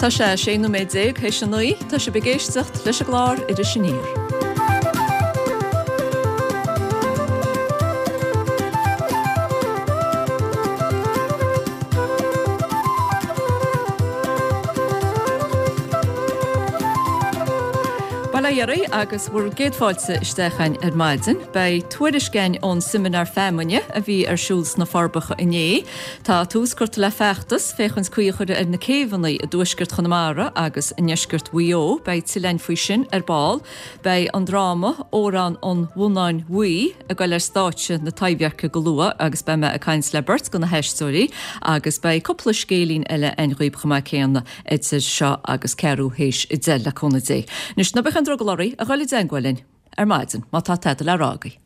Tá sé 16 nóiméad théis a 9, tá sibh ag éisteacht leis an gclár Iris Aniar. Bail ó Dhia oraibh agus bhur gcéad fáilte isteach againn ar maidin. Beidh tuairisc againn ón seimineár feamainne a bhí ar siúl sna Forbacha inné. Tá tús curtha le feachtas féachaint caoi a chur ar na céibheanna i dtuaisceart Chonamara agus i ndeisceart Mhaigh Eo. Beidh tuilleadh againn faoi sin ar ball. Beidh an dráma Órán an Bhonnáin Bhuí ag goil ar stáitse na Taibhdheirce go luath agus beidh mé ag caint le beirt de na haisteoirí agus beidh cúpla scéilín eile againn dhaoib chomh maith céanna idir seo agus ceathrú théis 10 le cúnamh Dé. Anois, ná bíodh aon drogall oraibh a ghoil i dteangmháil linn ar maidin má tá tada le rá agaibh.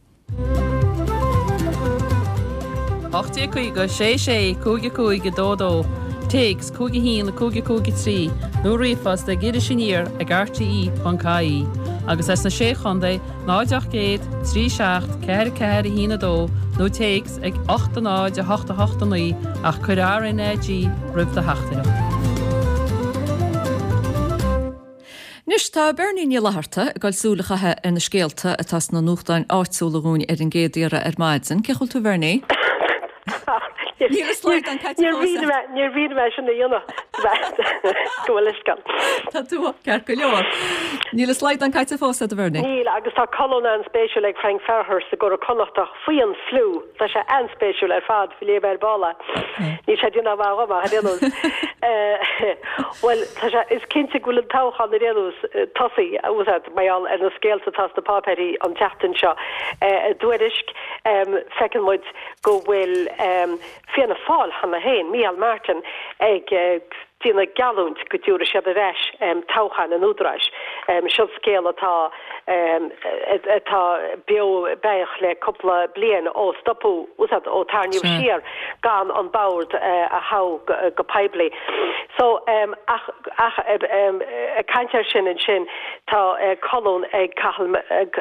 1850 6 6 5 5 2 2, Téacs 5 1 5 5 3 nó ríomhphost ag Iris Aniar ag rte.ie agus as na Sé Chontae 0 800 3 7 4 4 1 2 nó téacs ag 8 0 8 8 9 ach cuir RnaG roimh do theachtaireacht. Anois tá Bernie Ní Fhlatharta ag dul súil a chaitheamh ar na scéalta atá sna nuachtáin áitiúla dhúinn ar an gcéad iarraidh ar maidin. Cén chaoi a bhfuil tú a Bhernie? Níl an slaghdán caite fós agat. Níor mhian liom é sin a dhéanamh go bhfuil fhios agam. Tá tú ceart go leor. Níl an slaghdán caite fós agat a Bhernie? Níl agus tá colún an-spéisiúil ag Frank Farragher sa gCuradh Connachtach faoi an fliú. Tá sé an-spéisiúil ar fad, léigh mé ar ball é. Níl sé ag déanamh mhaith dhom ach ar aon nós. Bhuel, tá sé, is cinnte go bhfuil an toghchán ar aon nós tosaithe, úsáid, mar gheall ar na scéalta atá sna páipéirí an tseachtain seo. I dTuairisc, feiceann muid go bhfuil Fianna Fáil cheana féin, Micheál Martin, ag déanamh geallúint go dtabharfaidh siad ar ais toghcháin an Údaráis. Seo scéal atá atá beo beathach le cúpla bliain ó stopadh, úsáid, ó tarraingíodh siar gan an bord a thoghadh go poiblí. So, ach ach ag caint air sin ansin tá colún ag Cathal ag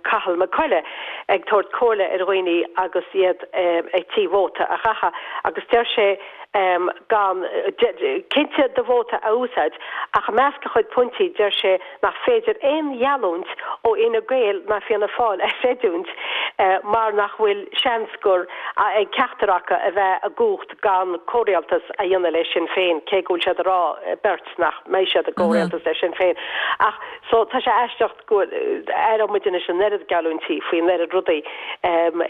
Cathal Mac Coille ag tabhairt comhairle ar dhaoine agus iad ag tí vóta a chaitheamh agus deir sé gan, cinnte, do vóta a úsáid, ach i measc a chuid pointí deir sé nach féidir aon gheallúint ó Fhine Gael ná Fianna Fáil a chreidiúint mar nach bhfuil seans gur ag ceachtar acu a bheith i gcumhacht gan comhrialtas a dhéanamh le Sinn Féin, cé go bhfuil siad ag rá beirt nach mbeidh siad i gcomhrialtas le Sinn Féin. Ach so tá sé aisteach. go aireoidh muid anois an oiread geallúintí faoin oiread rudaí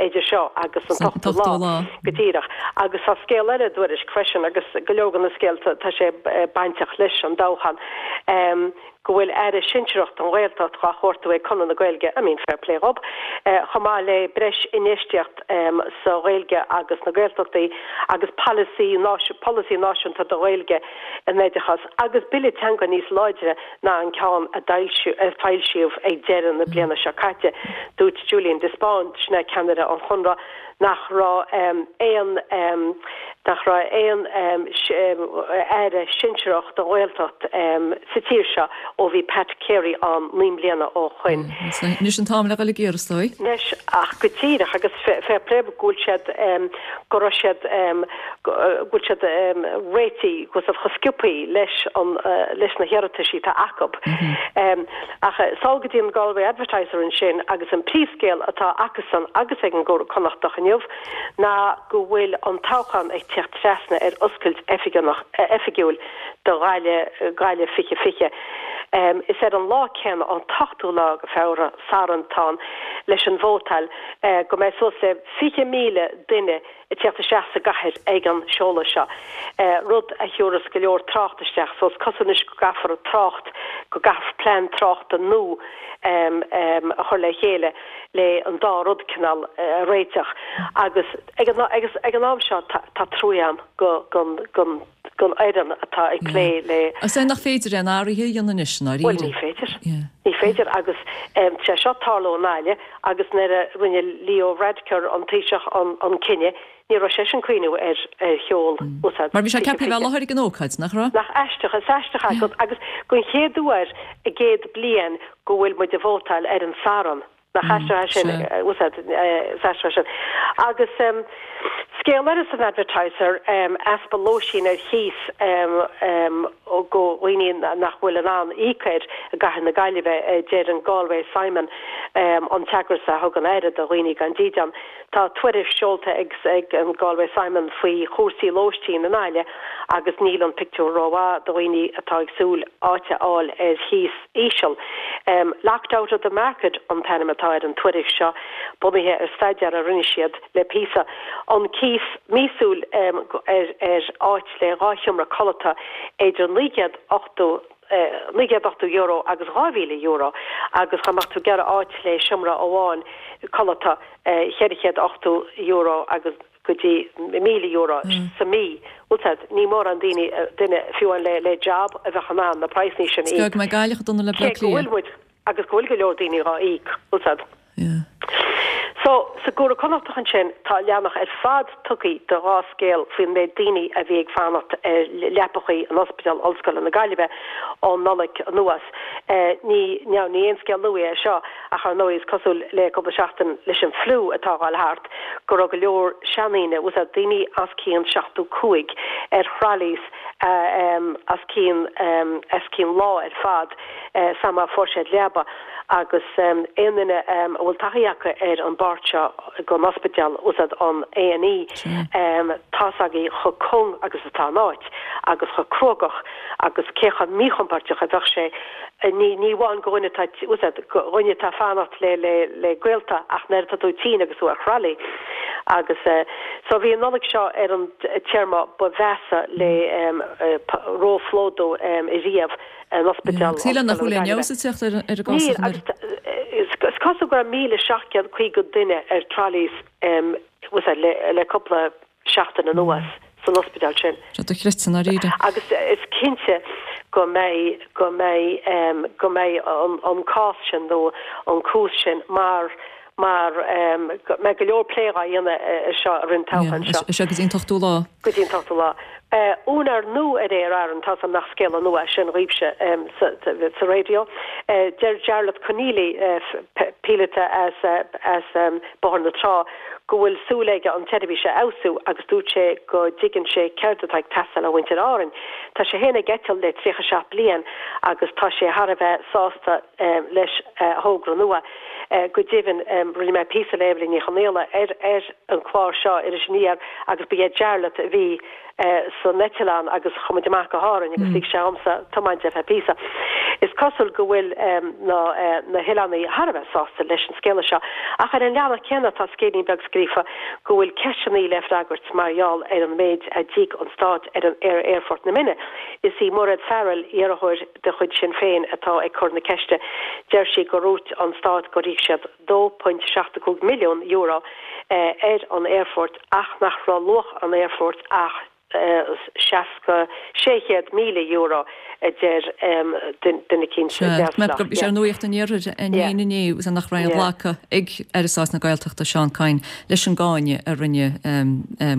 idir seo agus an t-ochtú lá, go díreach. Agus tá scéal eile i dTuairisc freisin, agus go leor de na scéalta, tá sé bainteach leis an dtoghchán, go bhfuil aire sinsearach don Ghaeltacht dhá chuartú ag Conradh na Gaeilge, I mean, fair play dhób, chomh maith le breis infheistíocht sa Ghaeilge agus na Gaeltachtaí agus polasaí náisiúnta don Ghaeilge in oideachas agus bille teanga níos láidre ná an ceann a foilsíodh ag deireadh na bliana seo caite. Dúirt Julian de Spáinn, sin é ceannaire an Chonradh, nach raibh aon nach raibh aon aire sinsearach don Ghaeltacht sa tír seo ó bhí Pat Carey ann 9 mbliana ó shoin. Anois an t-am le dhul ag iarraidh, is dóigh. Anois, ach go díreach, agus fair play go bhfuil siad, go raibh siad, go bhfuil siad réitithe go chomh sciobthaí leis an leis na hiarrataisí atá acu. Ach sall go dtí an Galway Advertiser ansin agus an príomhscéal atá acusan agus ag an gCuradh Connachtach inniu ná go bhfuil an toghchán ag tíocht trasna ar oscailt oifigiúil do Ghaillimh Gaillimh 2020. Is ar an lá céanna, an t-ochtú lá de Feabhra, Satharn atá ann, leis an vótáil go mbeidh suas le 20,000 duine ag tíocht isteach sa gcathair ag an seoladh seo, rud a thiúrfas go leor trácht isteach, so is cosúil anois go gcaithfear trácht, go gcaithfear plean tráchta nua a chur le chéile le an dá rud cineál a réiteach. Agus ag an, agus ag an am seo tá, tá trua agam go, gon, gon, gon fhoireann atá ag plé le. Is é nach féidir aon athruithe a dhéanamh anois, i ndáiríre. Bhuel, ní féidir. Ní féidir agus tá sé seo ag tarlú i nGaillimh Agus nuair a rinne Leo Varadkar, an Taoiseach, an cinneadh, ní raibh seisean ag cuimhniú ar sheol úsáid Mar bhí sé ceaptha a bheith i láthair ag an ócáid, nach raibh? Nach aisteach, is aisteach é, agus don chéad uair i gcéad bliain go bhfuil muid ag vótáil ar an Satharn. Nach aisteach é sin, úsáid, is aisteach é sin. Agus scéal eile san Advertiser, easpa lóistín ar chíos. Do dhaoine nach bhfuil in ann íoc air i gcathair na Gaillimhe, a deir an Galway Simon, an t-eagras a thugann aire do dhaoine gan dídean. Tá tuairisc seolta ag an Galway Simon faoi chúrsaí lóistín i nGaillimh agus níl an pictiúr rómhaith do dhaoine atá ag súil áit a fháil ar chíos íseal. Locked out of the market an t-ainm atá ar an tuairisc seo, bunaithe ar staidéar a rinne siad le píosa. An cíos míosúil ar áit le 2 sheomra codlata idir €980 €980 agus €2,000 agus dá mbeadh tú ag iarraidh áit le seomra amháin codlata €480 agus go dtí €1,000 sa mí. Bhfuil 's a'd, ní mórán daoine, duine, fiú amháin le job a bheadh in ann na praghsanna sin a íoc. Is go mbeidh Gaillimh chomh dona le Bleá Cé go bhfuil Cliath. muid agus go bhfuil go leor daoine dhá íoc, bhfuil 's a'd. Yeah. So, sa gCuradh Connachtach ansin, tá leathanach ar fad tugtha do dha scéal faoin méid daoine a bhí ag fanacht ar leapachaí in Ospidéal Ollscoile na Gaillimhe ón Nollaig anuas. Ní, now, ní aon scéal nua é seo, ach ar ndóigh is cosúil le cúpla seachtain leis an fliú atá a ghabháil thart, go raibh go leor seandaoine, bhfuil 's a'd, daoine os cionn 75, ar throlleys os cionn, os cionn lá ar fad sara má fuair siad leaba. Agus aon duine a bhfuil taithí acu ar an bpáirt seo den ospidéal, bhfuil 's a'd, an A&E, tá's agaibh chomh cúng agus atá an áit agus chomh cruógach agus cé chomh míchompordach a bheadh sé, ní ní amháin do dhuine atá, bhfuil 's a'd, do dhuine atá ag fanacht le le le gaolta ach nuair atá tú tinn agus tú ar throlley. Agus so bhí an Nollaig seo ar an téarma ba mheasa le róphlódú riamh. in Ospidéal Sílim nach bhfuil aon fheabhas ag teacht ar an gcás Níl, agus is cosúil go raibh 1,750 duine ar trolleys le cúpla seachtain anuas san ospidéal sin. Sé dochreidte i ndáiríre. Agus is cinnte go mbeidh, go mbeidh, go mbeidh an cás sin nó an cúis sin mar mar go mbeidh go leor plé dhá dhéanamh air seo i rith an toghcháin seo. Seo go dtí an t-ochtú lá. Go dtí an t-ochtú lá. Úinéir nua ar Aer Arann, tá's a'm nach scéala nua é sin dhaoibhse sa raidió. Deir Jarlath Conneely, píolóta as Bóthar na Trá, go bhfuil súil aige an tseirbhís a fheabhsú agus dúirt sé go dtuigeann sé céard atá ag teastáil ó mhuintir Árainn. Tá sé féin ag eitilt le 37 bliain agus tá sé thar a bheith sásta leis a thogra nua. Go deimhin, rinne mé píosa le Eibhlín Ní Chonaola ar ar an chlár seo, Iris Aniar, agus ba é Jarlath a bhí san eitleán agus chuaigh muid amach go hÁrainn agus lig sé dhomsa tiomáint ar feadh píosa. Is cosúil go bhfuil na na hoileánaigh thar a bheith sásta leis an scéala seo. Ach ar an leathanach céanna tá scéilín beag scríofa go bhfuil ceisteanna le freagairt mar gheall ar an méid a d'íoc an Stát ar an ar Aerfort na Minne. Is í Mairéad Farrell, iarrthóir de chuid Sinn Féin atá ag cur na ceiste. Deir sí gur dhúirt an Stát gur íoc siad €2.75 milliún ar an aerfort ach nach raibh luach an aerfoirt ach €600,000, a deir duine eicínt neamhspleách. Is ar Nuacht an Iarthair féin inné agus nach raibh aon ghlacadh ag Aire Stáit na Gaeltachta Seán Kyne leis an gcáineadh a rinne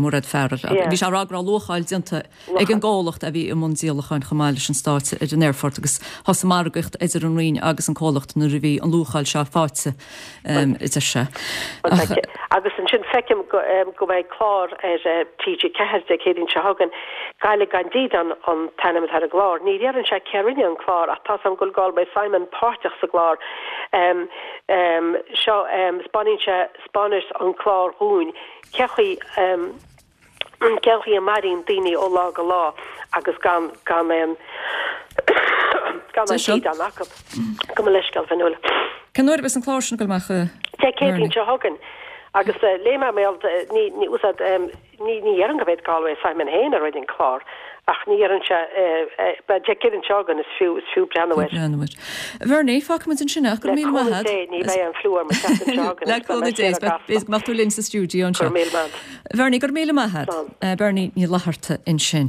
Mairéad Farrell. Bhí sé ag rá go raibh luacháil déanta ag an gcomhlacht a bhí i mbun díolacháin chomh maith leis an Stát ar an aerfort agus thosaigh margaíocht idir an Roinn agus an comhlacht nuair a bhí an luacháil seo faighte, a deir sé. Ach. Agus ansin feicim go mbeidh clár ar TG4 Dé Céadaoin seo chugainn, Gaillimh gan Dídean an t-ainm atá ar an gclár. Ní deireann sé cé a rinne an clár ach tá's agam go bhfuil Galway Simon páirteach sa gclár seo. 'Spáineann sé, 'spáineas an clár dhúinn cé chaoi, Cén chaoi a maireann daoine ó lá go lá agus gan gan aon gan aon dídean acu. Gabh mo leithscéal, Fionnuala. Cén uair a bheas an clár sin ag dul amach, a Dé Céadaoin seo chugainn. Agus léigh mé mail ní ní úsáid ní ní dhéarfainn gurb é Galway Simon féin a rinne an clár ach ní dhéarfainn sé Dé Céadaoin seo chugainn is fiú is fiú breathnú air. Breathnú air. Bhernie, fágfaidh muid ansin é ach go raibh míle maith agat. Le cúnamh Dé ní bheidh an fliú orm an tseachtain seo chugainn Le cúnamh Dé is go mbeadh tú linn sa stiúideo anseo. Go raibh míle maith agat. Bhernie, go raibh míle maith agat. Bernie Ní Fhlatharta ansin.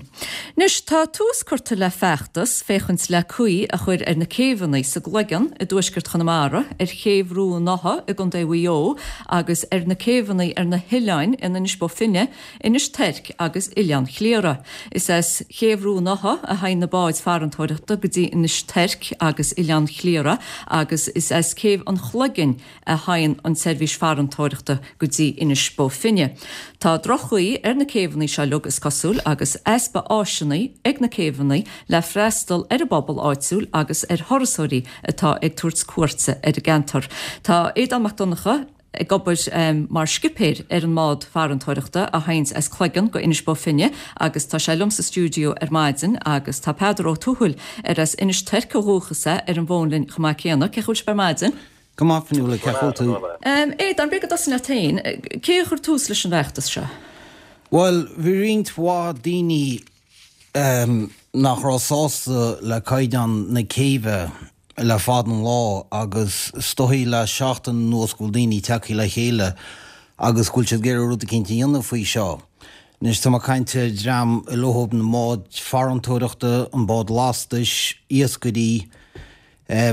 Anois, tá tús curtha le feachtas féachaint le caoi a chur ar na céibheanna sa gCloigeann i dtuaisceart Chonamara, ar chéibh Rua an Átha i gContae Mhaigh Eo agus ar na céibheanna ar na hoileáin in Inis Bó Finne, Inis Toirc agus Oileán Chliara. Is as. As Céibh Rua an Átha a thagann na báid farantóireachta go dtí Inis Toirc agus Oileán Chliara agus is as Céibh an Chloiginn a thagann an tseirbhís farantóireachta go dtí Inis Bó Finne. Tá droch-chaoi ar na céibheanna seo uilig is cosúil agus easpa áiseanna ag na céibheanna le freastal ar an bpobal áitiúil agus ar thurasóirí atá ag tabhairt cuairte ar an gceantar. Tá Aodán Mac Donncha ag obair mar scipéir ar an mbád farantóireachta a thaganns as Cloigeann go Inis Bó Finne agus tá sé liom sa stiúideo ar maidin agus tá Peadar Ó Tuathail ar as Inis Toirc ó dhúchas é ar an bhfón linn chomh maith céanna. Cén chaoi a bhfuil sibh ar maidin? Go maith, Fionnuala, cén chaoi a bhfuil tú? Aodán, b'fhéidir go dtosóinn leat féin. Cé a chuir tús leis an bhfeachtas seo? Bhuel, bhí roinnt mhaith daoine nach raibh sásta le caighdeán na céibhe le fada an lá agus is dóichí le seachtain anuas go bhfuil daoine tagtha le chéile agus go bhfuil siad ag iarraidh rud eicínt a dhéanamh faoi seo. Anois tá mé ag caint ar dhream a leothab na mbáid farantóireachta, an bád lastais, iascairí,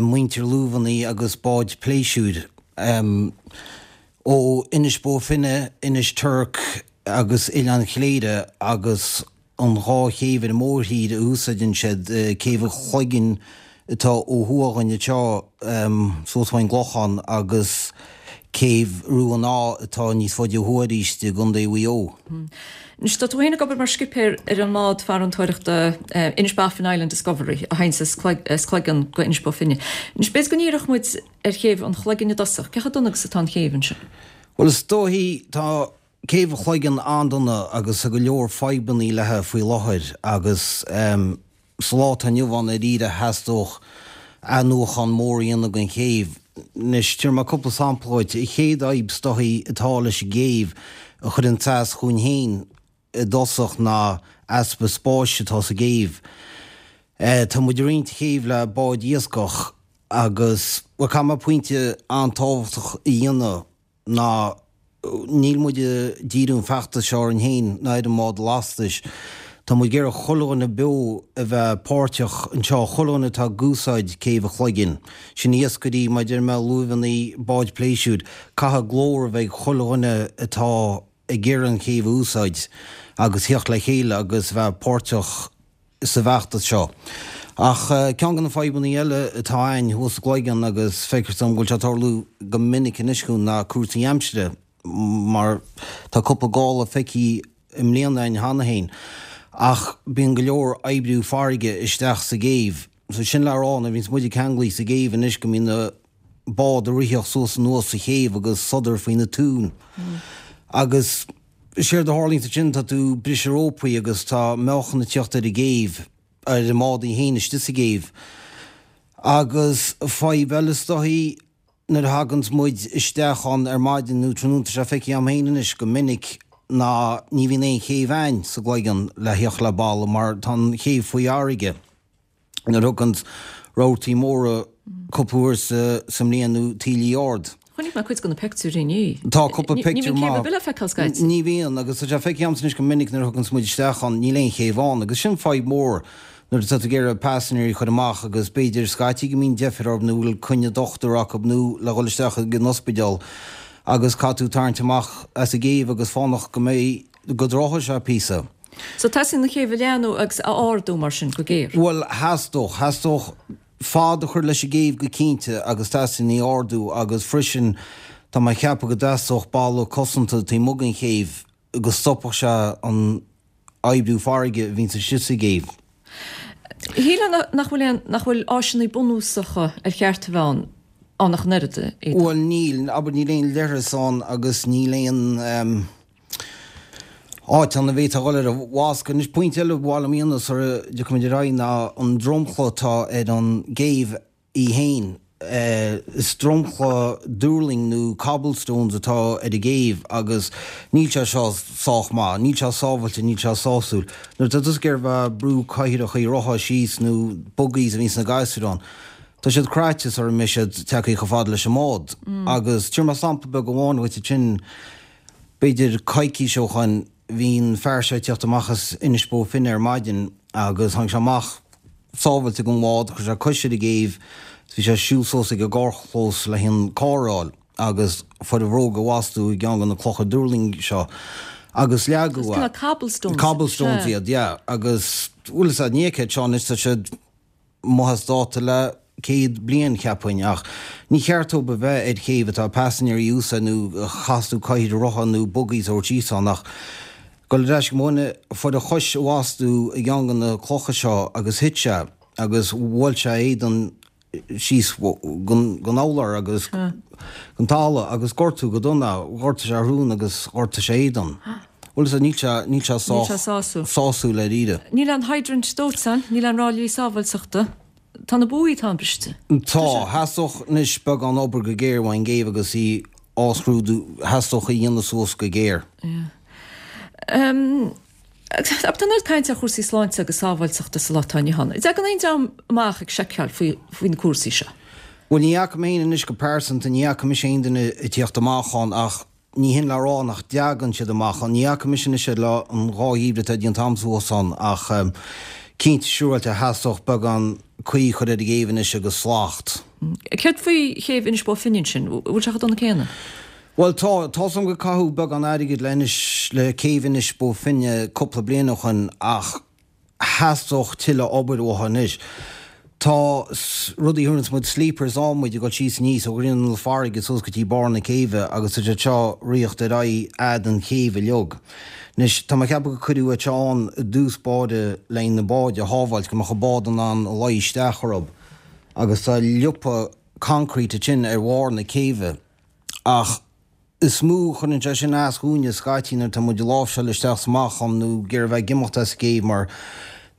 muintir luamhannaí agus báid pléisiúir ó Inis Bó Finne, Inis Toirc agus Oileán Chléire agus an dhá chéibh ar an mórthír a úsáideann siad, Céibh an Chloiginn atá ó thuaidh againn anseo suas faoin gClochán agus Céibh Rua an Átha atá níos faide ó thuaidh arís i gContae Mhaigh Eo. Anois, tá tú féin ag obair mar scipéir ar an mbád farantóireachta Inishbofin Island Discovery a thaganns as Cloigeann go Inis Bó Finne. Anois, b'fhéidir go ndíreodh muid ar chéibh an Chloiginn i dtosach. Cé chomh dona agus atá an chéibh ansin? Bhuel, is dóichí, tá Céibh an Chloiginn an-dona agus tá go leor fadhbannaí léithe faoi láthair agus sa lá atá inniu ann dáiríre theastódh athnuachán mór a dhéanamh den chéibh. Anois, tabharfaidh mé cúpla sampla dhuit. An chéad fhadhb is dóichí atá leis an gcéibh a chuireann as dhúinn féin i dtosach ná easpa spáis atá sa gcéibh. Tá muid ag roinnt chéibh le báid iascach agus, bhuel, caithfidh mé pointe an-tábhachtach a dhéanamh. ná níl muid ag díriú an feachtas seo orainn féin ná ar an mbád lastais. Tá muid ag iarraidh chuile dhuine beo a bheith páirteach anseo, chuile dhuine atá ag úsáid Céibh an Chloiginn. Sin iascairí, mar a deir mé, luaimheannaí, báid pléisiúir. Caithfidh glór a bheith ag chuile dhuine atá ag iarraidh an chéibh a úsáid agus theacht le chéile agus bheith páirteach sa bhfeachtas seo. Ach ceann de na fadhbanna eile atá againn thuas sa gCloigeann agus feictear dom go bhfuil sé ag tarlú go minic anois chugainn ná cúrsaí aimsire mar tá cúpla gála feicthe i mbliana againn cheana féin ach bíonn go leor oibriú farraige isteach sa gcéibh. So sin le rá nuair a bhíonns muid ceanglaithe sa gcéibh anois go mbíonn na báid ag ritheacht suas anuas sa chéibh agus sodar faoi na túin agus Séard a tharlaíonns ansin, tá tú ag briseadh rópaí agus tá meáchan ag tíocht ar an gcéibh, ar an mbád í féin istigh sa gcéibh. Agus fadhb eile is dóichí, nuair a thaganns muid isteach ann ar maidin nó tráthnóna, tá sé feicthe agam féin anois go minic, ná ní bhíonn aon chéibh a'ainn sa gCloigeann le theacht le balla mar tá an chéibh faoi fharraige. nuair a thiocfann's rabhartaí móra cúpla uair sa mbliain nó taoillí ard. Chonaic mé cuid de na pictiúirí inné. Tá cúpla pictiúr maith. Ní bhíonn céibh ar bith le feiceáil scaití. Ní bhíonn agus tá sé feicthe agamsa anois go minic nuair a thiocfann's muid isteach ann níl aon chéibh ann agus sin fadhb mhór nuair atá tú ag iarraidh paisinéirí a chur amach agus b'fhéidir scaití go mbíonn deifir orthu nó bhfuil coinne dochtúra acu nó le dhul isteach ag an ospidéal agus caithfidh tú tarraingt amach as an gcéibh agus fanacht go mbeidh go dtráfaidh sé píosa. So teastaíonn an chéibh a leathnú agus a ardú mar sin go géar. Bhuel, theastódh. Theastódh fad a chur leis an gcéibh go cinnte agus teastaíonn í a ardú agus freisin tá mé ag ceapadh go dteastódh balla cosanta taobh amuigh den chéibh go stopfadh sé an oibriú farraige a bhíonns istigh sa gcéibh. Shílfeá nach bhfuil aon, nach bhfuil áiseanna bunúsacha ar cheart a bheith ann, ann ach an oiread, a Aodán. Bhuel níl, abair níl aon leithreas ann agus níl aon. áit ann a bhféadfá dhul ar an bhfoscadh. Anois, pointe eile ba mhaith liom a dhéanamh sara dtiocfaimid ar aghaidh ná an dromchla atá ar an gcéibh í féin. Is dromchla duirling nó cobblestones atá ar an gcéibh agus níl sé seo sách maith, níl sé sábhailte, níl sé sásúil. Nuair atá tusa ag iarraidh bheith ag brú cathaoireachaí rotha síos nó buggies a bhíonn sna gasúir ann, tá siad craite sara mbeidh siad tagtha chomh fada leis an mbád. Agus tabharfaidh mé sampla beag amháin dhuit ansin. B'fhéidir coicís ó shoin, bhí an fear seo ag tíocht amach as Inis Bó Finne ar maidin agus tháinig sé amach sábhailte den bhád, chuir sé cois ar an gcéibh is bhí sé ag siúl suas ag an gcarrchlós le an carr a fháil agus fuair a bhróg a bhastú i gceann de na clocha duirling seo. Agus leagadh é. Cineál cobblestones. Cobblestones iad, yeah. Agus, bhfuil fhios a'd, ní fheicfeá seo anois, tá siad amuigh as dáta le 100 bliain, cheapfainn, ach ní cheart dóibh a bheith ar chéibh atá paisinéirí a úsáid nó a chas tú cathaoir rotha nó buggies a thabhairt síos ann ach goil ar ais go mo dhuine, fuair a chois i bhfastú i gceann de na clocha seo agus thit sé agus bhuail sé a éadan síos gon urlár agus gon talamh agus gortú go dona, ghortaigh sé a shrón agus ghortaigh sé a éadan. Bhuel is níl sé, níl sé Níl sé sásúil. sásúil dáiríre. Níl aon hydrant dóiteáin, níl aon ráillí sábháilteachta. Tá na buaí atá briste. Tá. Theastódh anois beagán obair go géar uaidh an gcéibh agus í á scrúdú, theastódh í a dhéanamh suas go géar. Yeah. Tá an oiread cainte ar chúrsaí sláinte agus sábháilteachta sa lá atá inniu ann. An dtagann aon dream amach ag seiceáil faoi faoi na cúrsaí seo? Bhuel, ní fhaca mé féin anois go pearsanta, ní fhaca mise aon duine ag tíocht amach ann ach ní hin le rá nach dtagann siad amach ann. Ní fhaca mise anois le an dá gheimhreadh atá déanta a'm suas ann ach cinnte siúráilte theastódh beagán caoi a chur ar an gcéibh anois agus slacht. Céard faoi chéibh Inis Bó Finne ansin? Bhfuil sé chomh dona céanna? Bhuel tá, tá's a'm gur caitheadh beagán airgid le Inis, le céibh Inis Bó Finne cúpla bliain ó shoin ach theastódh tuilleadh obair uathu anois. Tá rudaí a thabharanns muid sleepers ann muid ag dul síos aníos ó ghrinneall na farraige suas go dtí barr na céibhe agus tá siad seo ag ritheacht ar aghaidh fhad an chéibh uilig. Anois tá mé ag ceapadh gur cuireadh iad seo ann i dtús báire le na báid a shábháilt go mbeadh an bád in ann luí isteach orthu agus tá liopa concrete ansin ar bharr na céibhe. Ach is mó a chuireann sé sin as dhúinne scaití nuair atá muid ag láimhseáil isteach 's amach ann nó ag iarraidh a bheith ag imeacht as an gcéibh mar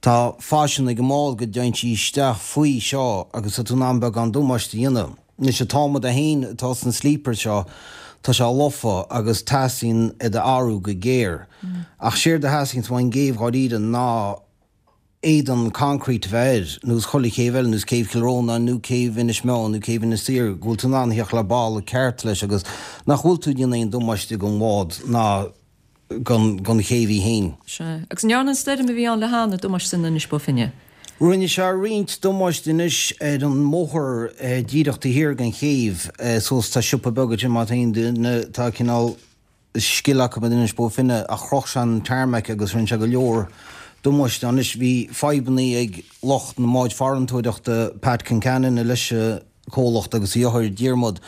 tá faisean ag an mbád go dtéann sí isteach faoi seo agus tá tú in ann beagán damáiste a dhéanamh. Anois an t-adhmad é féin atá sna sleepers seo tá sé lofa agus teastaíonn iad a athrú go géar. Ach séard a theastaíonns ón gcéibh dháiríre ná éadan concrete a bheith air, nós chuile chéibh eile, nós céibh Chill Rónáin nó céibh Inis Meáin nó céibh Inis Oírr, go bhfuil tú in ann a theacht le balla ceart leis agus nach bhfuil tú ag déanamh aon damáiste don bhád ná don chéibh í féin. Sea. Agus an ndearna an stoirm a bhí ann le hannamh damáiste in Inis Bó Finne? Rinne sé roinnt damáiste anois ar an mbóthar díreach taobh thiar den chéibh suas, tá siopa beag ansin má tá aon duine atá cineál, scil acu in Inis Bó Finne ach chroch sé an tarmac agus rinne sé go leor damáiste. Anois bhí fadhbannaí ag lucht na mbáid farantóireachta, Pat Concannon leis an comhlacht agus a dheartháir Diarmuid.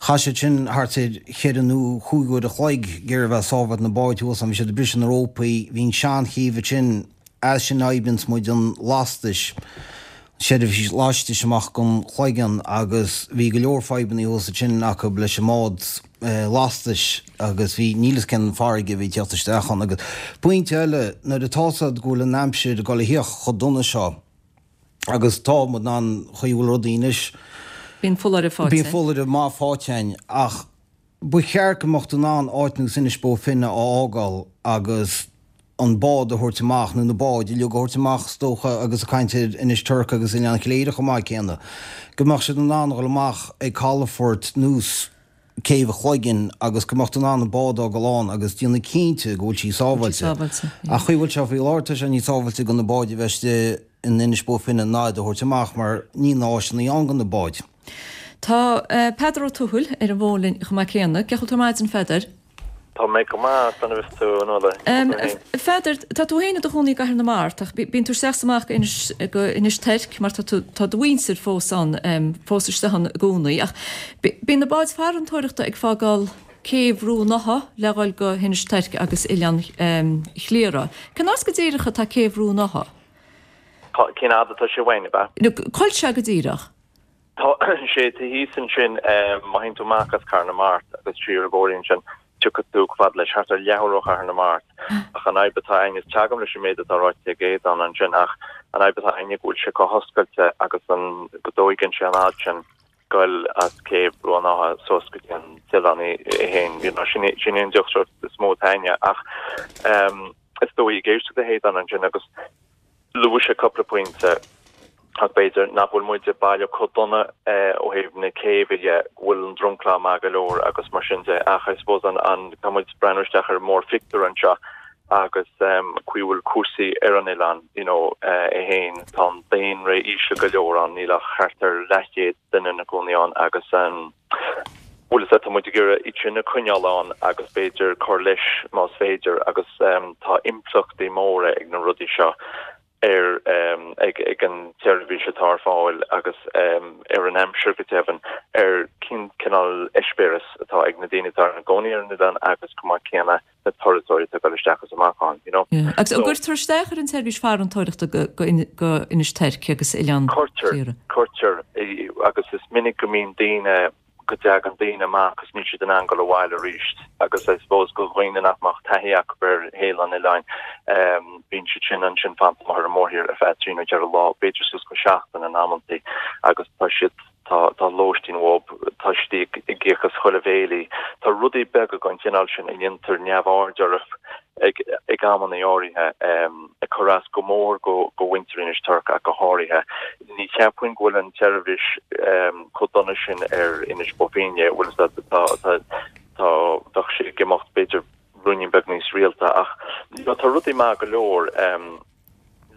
Chaith siad sin thart ar cheithre nó chúig uair a chloig ag iarraidh a bheith ag sábháilt na báid thuas ann. Bhí siad ag briseadh na rópaí. Bhí an seanchéibh ansin, as sin a oibríonns muid an lastais. seirbhís laistis amach gon Chloigeann agus bhí go leor fadhbannaí thuas ansin acu leis an mbád lastais agus bhí, níl fhios cén farraige a bhí ag tíocht isteach ann agus pointe eile nuair atá fhios a'd go bhfuil an aimsir ag dul a thíocht chomh dona seo agus tá muid in ann chaoi a bhfuil rudaí anois. Bíonn foláireamh faighte. Bíonn foláireamh maith faighte a'inn ach ba cheart go mbeadh tú in ann áit nós Inis Bó Finne a fhágáil agus an bád a thabhairt amach, nó na báid uilig a thabhairt amach is dócha, agus ag caint ar Inis Toirc agus Oileán Chléire chomh maith céanna, go mbeadh siad in ann a dhul amach ag calafort nós Céibh an Chloiginn agus go mbeadh tú in ann an bád a fhágáil ann agus déanamh cinnte go bhfuil sí sábháilte. Ach chaoi a bhfuil sé faoi láthair tá sé níos sábháilte do na báid a bheith istigh in Inis Bó Finne ná iad a thabhairt amach mar níl na áiseanna ann do na báid. Tá Peadar Ó Tuathail ar an bhfón linn chomh maith céanna. Cén chaoi a bhfuil tú ar maidin, a Pheadair? Tá mé go maith, conas atá tú, a Nuala? A Pheadair, tá tú féin i do chónaí i gCathair na Mart ach bíonn tú isteach 's amach go Inis, go Inis Toirc mar tá tú, tá do mhuintir fós ann, fós istigh ann i gcónaí ach bíonn na báid farantóireachta ag fágáil céibh Rua an Átha le dhul go hInis Toirc agus Oileán Chliara. Cén áit go díreach atá céibh Rua an Átha? Cén fhad atá sé uainn, ab ea? Cá bhfuil sé go díreach? Tá sé taobh thíos ansin, má théann tú amach as Cathair na Mart agus siar an bóithrín sin, tiocfaidh tú chomh fada leis, thart ar leathuair ó Chathair na Mart. Ach an fhadhb atá a'inne, is teagaim leis an méid atá ráite ag Aodán ansin, ach an fhadhb atá a'inne go bhfuil sé chomh hoscailte agus an, go dtóigeann sé an fhad sin goil as céibh Rua an Átha suas go dtí an t-oileán é féin, you know, sin sin é an deacracht is mó atá a'inne. Ach is dóigh ag éisteacht le hAodán ansin agus Luaigh sé cúpla pointe ach b'fhéidir nach bhfuil muide baile chomh dona ó thaobh na céibhe dhe, go bhfuil an dromchla maith go leor agus mar sin de ach I suppose an, an, tá muid ag breathnú isteach ar an mórphictiúr anseo agus chaoi a bhfuil cúrsaí ar an oileán you know é féin, tá an daonra íseal go leor ann, níl ach thart ar leathchéad duine ina gcónaí ann agus an. Bhuel, is ea, tá muid ag iarraidh iad sin a choinneáil ann agus b'fhéidir cur leis más féidir agus tá impleachtaí móra ag na rudaí seo ar ag ag an tseirbhís atá ar fáil agus ar an aimsir go deimhin, ar cén cineál eispéireas atá ag na daoine atá ina gcónaí ar an oileán agus chomh maith céanna na turasóirí atá ag dul isteach is amach ann, you know. Yeah. Agus an gcuirtear isteach ar an tseirbhís farantóireachta go go go Inis Toirc agus Oileán Cuirtear, Cliara? cuirtear, agus is minic go mbíonn daoine, go dtagann daoine amach agus níl siad in ann dul abhaile arís agus I suppose go dhaoine nach mbeadh taithí acu ar shaol an oileáin, bíonn siad sin ansin fanta amuigh ar an mórthír ar feadh trí nó ceithre lá, b'fhéidir suas go seachtain in amantaí agus tá siad, tá, tá lóistín uathu, tá siad ag íoc as chuile bhéilí, tá rudaí beaga den chineál sin a ndéantar neamhaird orthu ag, ag amannaí áirithe, ag cur as go mór go, go mhuintir Inis Toirc ach go háirithe. Ní cheapfainn go bhfuil an tseirbhís chomh dona sin ar Inis Bó Finne, bhfuil fhios agat, tá, tá, tá, bheadh sé ag imeacht b'fhéidir ruainnín beag níos rialta ach you know tá rudaí maith go leor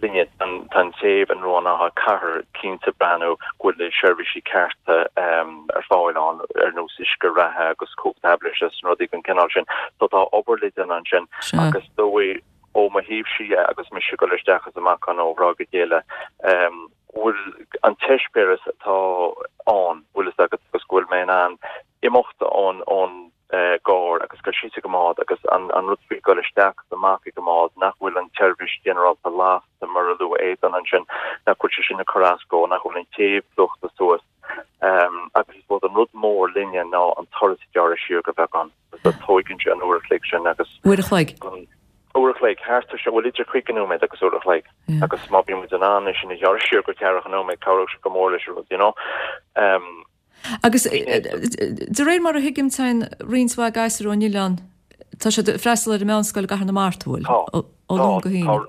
linne, tá an chéibh in Ruán Átha caithfear cinnte breathnú go bhfuil na seirbhísí cearta ar fáil ann ar nós uisce reatha agus cumhacht aibhléise is rudaí den chineál sin. So tá obair le déanamh ansin agus is dóigh ó mo thaobhse dhe agus mise ag dul isteach is amach ann ó thráth go chéile, go bhfuil an t-eispéireas atá ann, bhfuil fhios agat, agus go bhfuil mé in ann imeacht ón ón gcarr agus dul síos ag an mbád agus an an rud faoi dhul isteach is amach ag an mbád, nach bhfuil an tseirbhís ghinearálta lasta mar a luaigh Aodán ansin, nach bhfuil sé sin ag cur as dó, nach bhfuil an chéibh plúchta suas. Agus I suppose an rud mór linne ná an turas a ghearradh siar go beagán. Agus tóigeann sé an uair a chloig sin agus. Uair a chloig? Uair a chloig, thart ar sin, bhuel idir 50 nóiméad agus uair a chloig. Agus má bhíonn muid in ann é sin a ghearradh siar go ceathracha nóiméad, cabhródh sé go mór leis an rud, you know. Agus de réir mar a thuigim, téann roinnt mhaith gasúr ón oileán, tá siad ag freastal ar an meánscoil i gCathair na Mart, an bhfuil? Tá. Ó Luan go hAoine.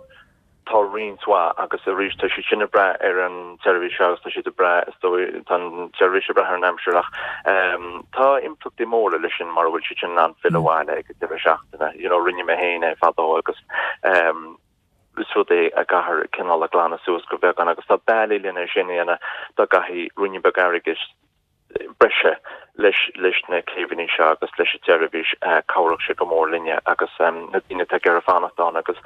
Tá roinnt mhaith agus arís tá siad sin ag brath ar an tseirbhís agus tá siad ag brath, is dóigh, tá an tseirbhís ag brath ar an aimsir ach tá impleachtaí móra leis sin mura bhfuil siad sin in ann filleadh abhaile ag an deireadh seachtaine. You know, rinne mé féin é fadó agus is rud é a gcaithfear cineál a ghlanadh suas go beagán agus tá bealaí lena sin a dhéanamh dá gcaithfí ruainnín beag airgid breise leis leis na céibheanna seo agus leis an tseirbhís, cabhródh sé go mór linne agus na daoine atá ag iarraidh fanacht ann agus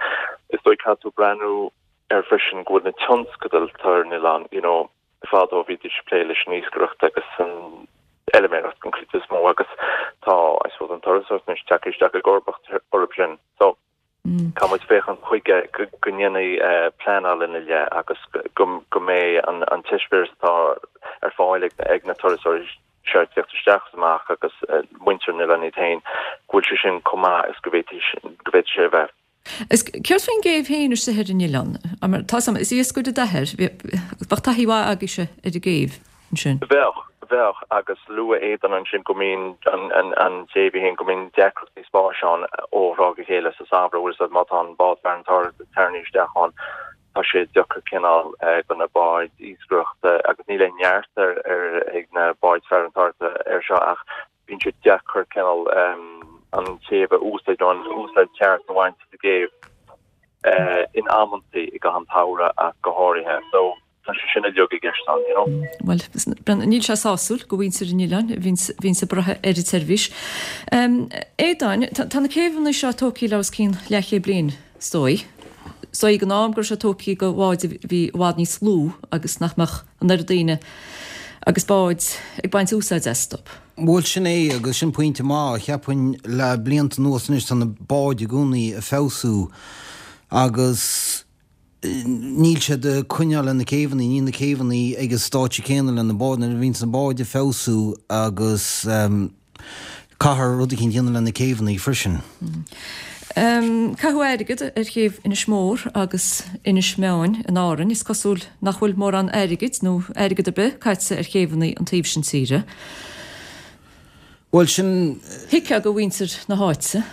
is dóigh caithfidh tú breathnú air freisin go bhfuil na tionscadail atá ar an oileán, you know, fadó bhídís ag plé leis an iascaireacht agus an fheilméaracht den chuid is mó agus tá, I suppose, an turasóireacht anois tagtha isteach i gcomharbacht orthu sin. So. Caithfidh muid féachaint chuige go ndéanfaí pleanáil ina leith agus go mbeidh an t-eispéireas atá ar fáil ag na turasóirí seo ag tíocht isteach is amach agus muintir an oileáin iad féin, go bhfuil sé sin chomh maith is go bhféadfaidh sé a bheith. Is céard faoin gcéibh féin istigh ar an oileán? Mar tá 'fhios a'm, is iascaire d'athair, bheadh taithí mhaith agaibhse ar an gcéibh. ansin. Bheadh, bheadh, agus luaigh Aodán ansin go mbíonn an chéibh í féin, go mbíonn deacrachtaí spáis ann ó thráth go chéile sa samhradh, bhfuil 'fhios a'd má tá an bád farantóireachta tarraingthe isteach ann, tá sé deacair cineál do na báid iascaireachta, agus níl aon neart ar, ar, ag na báid farantóireachta air seo ach bíonn sé deacair cineál an chéibh a úsáid nó an úsáid cheart a bhaint as an gcéibh in amantaí i gcaitheamh an tsamhraidh ach go háirithe. So. Tá sé sin uilig i gceist ann, you know. Bhuel, níl sé sásúil go mhuintir an oileáin a bhíonns ag brath ar an tseirbhís. Aodáin, tá na céibheanna seo tógtha le os cionn leathchéad bliain, is dóigh. Is dóigh ag an am go raibh sé tógtha go bháid a bhí i bhfad níos lú agus nach mbeadh an oiread daoine agus báid ag baint úsáid astu. Bhuel, sin é, agus sin pointe maith. Cheapfainn le blianta anuas anois tá na báid i gcónaí ag feabhsú agus níl siad ag coinneáil le na céibheanna, níl na céibheanna ag an stáitse céanna le na báid, nuair a bhíonns na báid ag feabhsú agus caithfear rud eicínt a dhéanamh le na céibheanna freisin. Caitheadh airgead ar chéibh Inis Mór agus Inis Meáin in Árainn. Is cosúil nach bhfuil mórán airgid nó airgead ar bith caite ar chéibheanna an taobh sin tíre. Bhuel, sin. Thuigfeá do mhuintir na háite.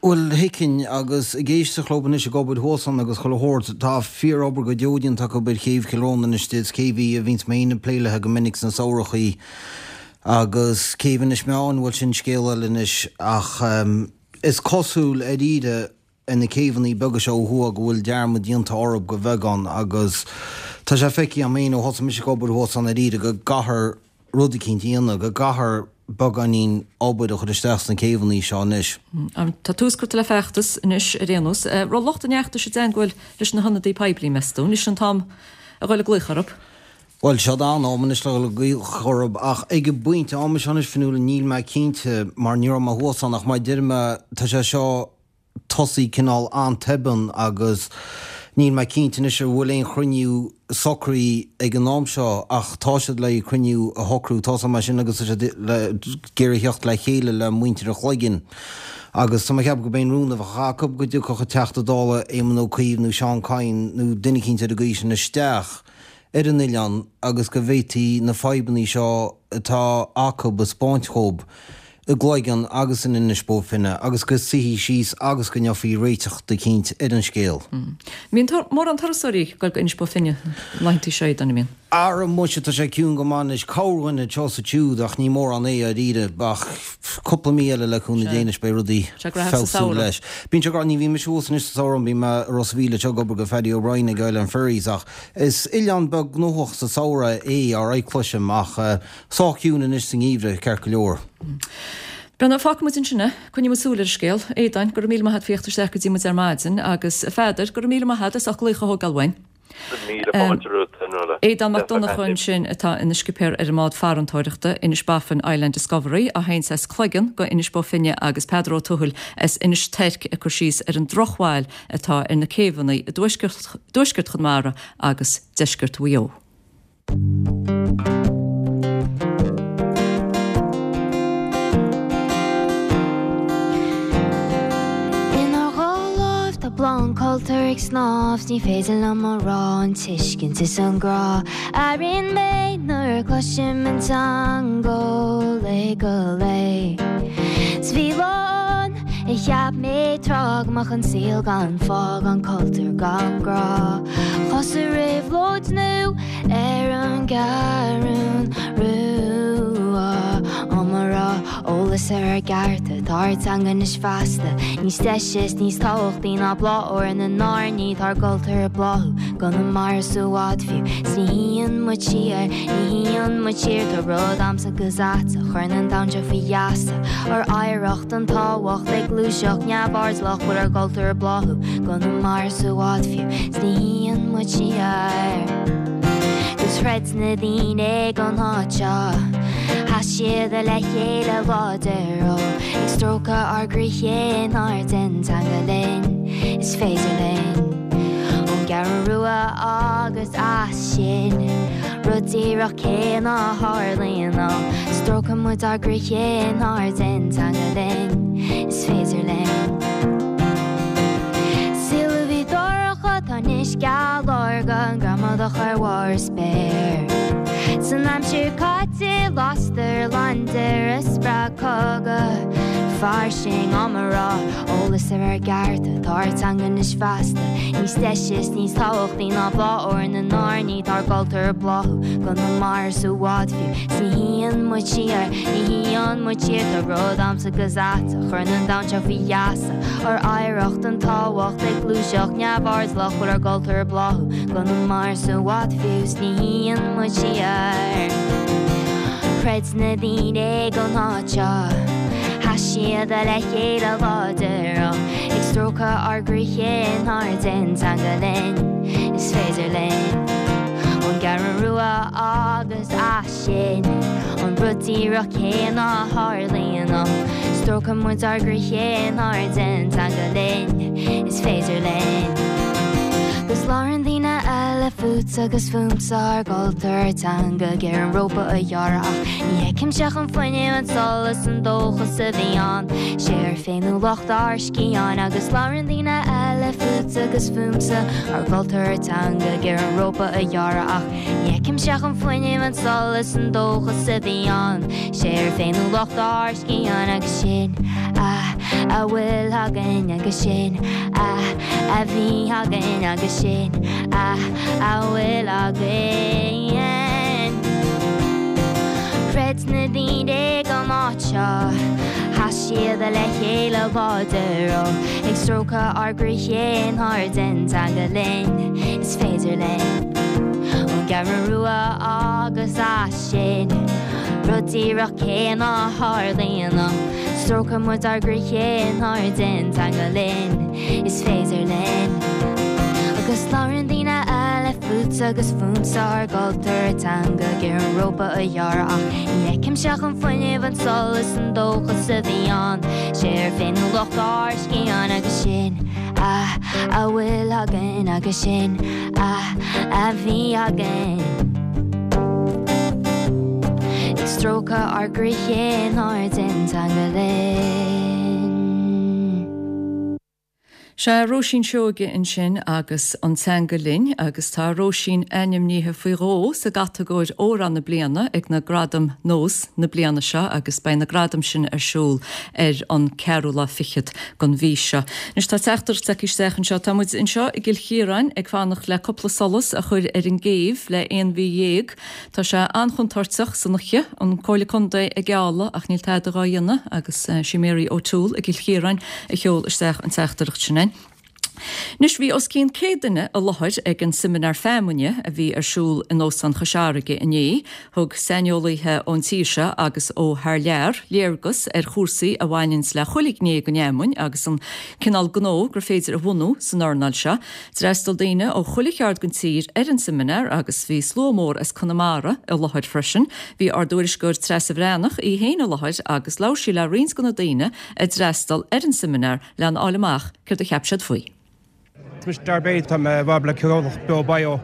Bhuel, thuigfinn, agus ag éisteacht leo anois ag obair thuas ann agus chuile shórt, tá fíor-obair go deo déanta acu ar chéibh Chill Rónáin anois, is céibh í a bhíonns mé féin ag plé léi go minic sna samhrachaí, agus céibh Inis Meáin, bhuel, sin scéal eile anois, ach is cosúil, dáiríre, ar na céibheanna beaga seo ó thuaidh go bhfuil dearmad déanta orthu go bheagán agus tá sé feicthe agam féin ó thosaigh mise ag obair thuas ann dáiríre go gcaithfear rud eicínt a dhéanamh, go gcaithfear. beagáinín obair a chur isteach sna céibheanna seo anois. Tá tús curtha le feachtas anois ar aon nós. Raibh lucht an fheachtais i dteangmháil leis na hionadaí poiblí, meas tú? Anois an t-am a dhul ag glaoch orthu? Bhuel, seo an am anois le dhul ag glaoch orthu ach ag an bpointe ama seo anois, Fionnuala, níl mé cinnte mar ní raibh mé thuas ann ach mar a deir mé, tá sé seo tosaithe cineál an-tobann agus níl mé cinnte anois an bhfuil aon chruinniú socraithe ag an am seo ach tá siad le cruinniú a shocrú, tá a fhios agam é sin agus tá siad le ag iarraidh theacht le chéile le muintir an Chloiginn agus tá mé ag ceapadh go b'é an rún a bheadh acu go dtiocfadh an Teachta Dála Éamon Ó Cuív nó Seán Kyne nó duine eicínt ar an gcaoi sin isteach ar an oileán agus go bhféadfaí na fadhbanna seo atá acu a 'spáint dhóibh. i gCloigeann agus in Inis Bó Finne agus go suífí síos agus go ngeofaí réiteach eicínt ar an scéal. Mbíonn mórán turasóirí ag dul go Inis Bó Finne na laethanta seo, an mbíonn? Ara muise, tá sé ciúin go maith anois. Corrdhuine anseo is ansiúd ach ní mórán é dáiríre. Ach cúpla mí eile le cúnamh Dé anois beidh rudaí feabhsú leis. Bíonn sé graitheach, ní bhíonn mise thuas anois sa samhradh, bíonn mé i Ros a' Mhíl anseo ag obair go Phaddy O'Brien ag Island Ferries ach is oileán beag gnóthach sa samhradh é, alright cloisim ach Sách ciúin anois sa ngeimhreadh, ceart go leor. Breandán, fágfaidh muid ansin é. Coinneoidh muid súil ar an scéal. A Aodáin, go raibh míle maith a't faoi theacht isteach go dtí muid ar maidin agus a Pheadair, go raibh míle maith a't as ucht glaoch a thógáil uainn. Míle fáilte romhat, a Fhionnuala. Aodán Mac Donncha ansin atá ina scipéir ar an mbád farantóireachta, Inis Baffin Island Discovery, a théanns as Cloigeann go Inis Bó Finne agus Peadar Ó Tuathail as Inis Toirc ag cur síos ar an drochbhail atá ar na céibheanna i dtuaisceart Chonamara agus deisceart Mhaigh Eo. Inár dhá láimh tá bláth an cultúir ag snámh 's ní féidir liom a rá an tuiscint is an grá a airíonn mé nuair a chloisim an teanga ó lae go lae. 'S bhí lá ann a cheap mé tráth go mbeadh an saol gan fáth gan cultúr gan grá. Thosaigh réabhlóid nua ar an gCeathrún Rua. Á mo rá, eolas ar ár gcearta, tá ár dteanga anois feasta níos deise is níos tábhachtaí ná bláth úr na n-airní, tá ár gcultúr ag bláthú i gConamara is i bhfad fiú, 's ní shuíonn muid siar, ní shuíonn muid siar, tá rud a'msa 'gus a'tsa, chuireann an domhan seo faoi gheasa, ár oidhreacht an tábhacht ag gluaiseacht neamhairdeallach, bhfuil ár gcultúr ag bláthú i gConamara is i bhfad fiú, 's ní shuíonn muid siar. 'Gus throid na daoine ag an áit seo, sheas siad le chéile láidir, ó, ag stróiceadh ár gcroíthe inár dteanga linn, is féidir linn. Ón gCeathrú Rua agus as sin, rud díreach céanna a tharlaíonn, ó, stróiceann muid ár gcroíthe inár dteanga linn, is féidir linn. Saol a bhí dorcha, tá anois geal órga, an gramadach ar bharr an spéir. San aimsir caite, lastar laindéar a spreag cogadh fairsing á mo rá, eolas ar ár gcearta, tá ár teanga anois feasta, níos deise is níos tábhachtaí ná bláth úr na n-airní, tá ár gcultúr ag bláthú i gConamara is i bhfad fiú, 's ní shuíonn muid siar, ní shuíonn muid siar, tá rud a'msa 'gus a'tsa, chuireann an domhan seo faoi gheasa. Ár oidhreacht an tábhacht ag gluaiseacht neamhairdeallach bhfuil ár gcultúr ag bláthú i gConamara is i bhfad fiú 's ní shuíonn muid siar. Throid na daoine ag an áit seo, sheas siad le chéile láidir ó, ag stróiceadh ár gcroíthe inár dteanga linn, is féidir linn. Ón gCeathrú Rua agus as. sin an rud díreach céanna a tharlaíonn ó stróiceann muid ár gcroíthe inár dteanga linn, is féidir linn. 'Gus labhrann daoine eile fútsa agus fúmsa ár gcultúr ár dteanga ag iarraidh an rópa a ghearradh ach ní fheicimse ach an fuinneamh an solas an dóchas a bhí ann sé ár féiniúlacht ár sciatháin agus labhrann daoine eile fútsa agus fúmsa ár gcultúr ár dteanga ag iarraidh an rópa a ghearradh ach Ní fheicimse ach an fuinneamh, an solas, an dóchas a bhí ann. Sé ár féiniúlacht ár sciatháin agus sin a a bhfuil againn agus sin a a bhí againn agus sin a a bhfuil againn. Throid na daoine ag an áit seo, sheas siad le chéile láidir ó, ag stróiceadh ár gcroíthe inár dteanga linn, is féidir linn. Ón gCeathrú Rua agus as sin. rud díreach céanna a tharlaíonn. Stróiceann muid ár gcroíthe in airde an teanga linn, is féidir linn. Agus labhrann daoine eile fútsa agus fúmsa ár gcultúr teanga ag iarraidh an rópa a ghearradh ach ní fheicimse ach an fuinneamh, an solas, an dóchas a bhí ann. Sé ár bhféiniúlacht ár scian agus sin a a bhfuil againn agus sin a a bhí againn. Ag stróiceadh ár gcroíthe in airde an teanga linn. Sea, Róisín Seoige ansin agus An Teanga Linn agus tá Róisín ainmnithe faoi dhó sa gcatagóir Amhrán na Bliana ag na Gradaim Nós na bliana seo agus beidh na gradaim sin ar siúl ar an ceathrú lá fichead den mhí seo. Anois tá teachtaireacht tagtha isteach anseo. Tá muid anseo i gCill Chiaráin ag fanacht le cúpla solas a chur ar an gcéibh le aon mhí dhéag. Tá sé an-chontúirteach san oíche, an Comhairle Contae ag gealladh ach níl tada dhá dhéanamh agus sí Mary O'Toole i gCill Chiaráin a sheol isteach an teachtaireacht sin againn. Anois bhí os cionn 100 duine i láthair ag an Seimineár Feamainne a bhí ar siúl in Óstán Chois Fharraige inné. Thug saineolaithe ón tír seo agus ó thar lear léargas ar chúrsaí a bhaineanns le chuile ghné den fheamainn agus an cineál gnó gur féidir a bhunú san earnáil seo. D'fhreastail daoine ó chuile cheard den tír ar an seimineár agus bhí slua mór as Conamara i láthair freisin. Bhí ár dtuairisceoir Treasa Bhreathnach í féin i láthair agus labhair sí le roinnt de na daoine a d'fhreastail ar an seimineár lena fháil amach céard a cheap siad faoi. Is mise Darby, tá mé i bhfabhar le comhlacht Beo Bio.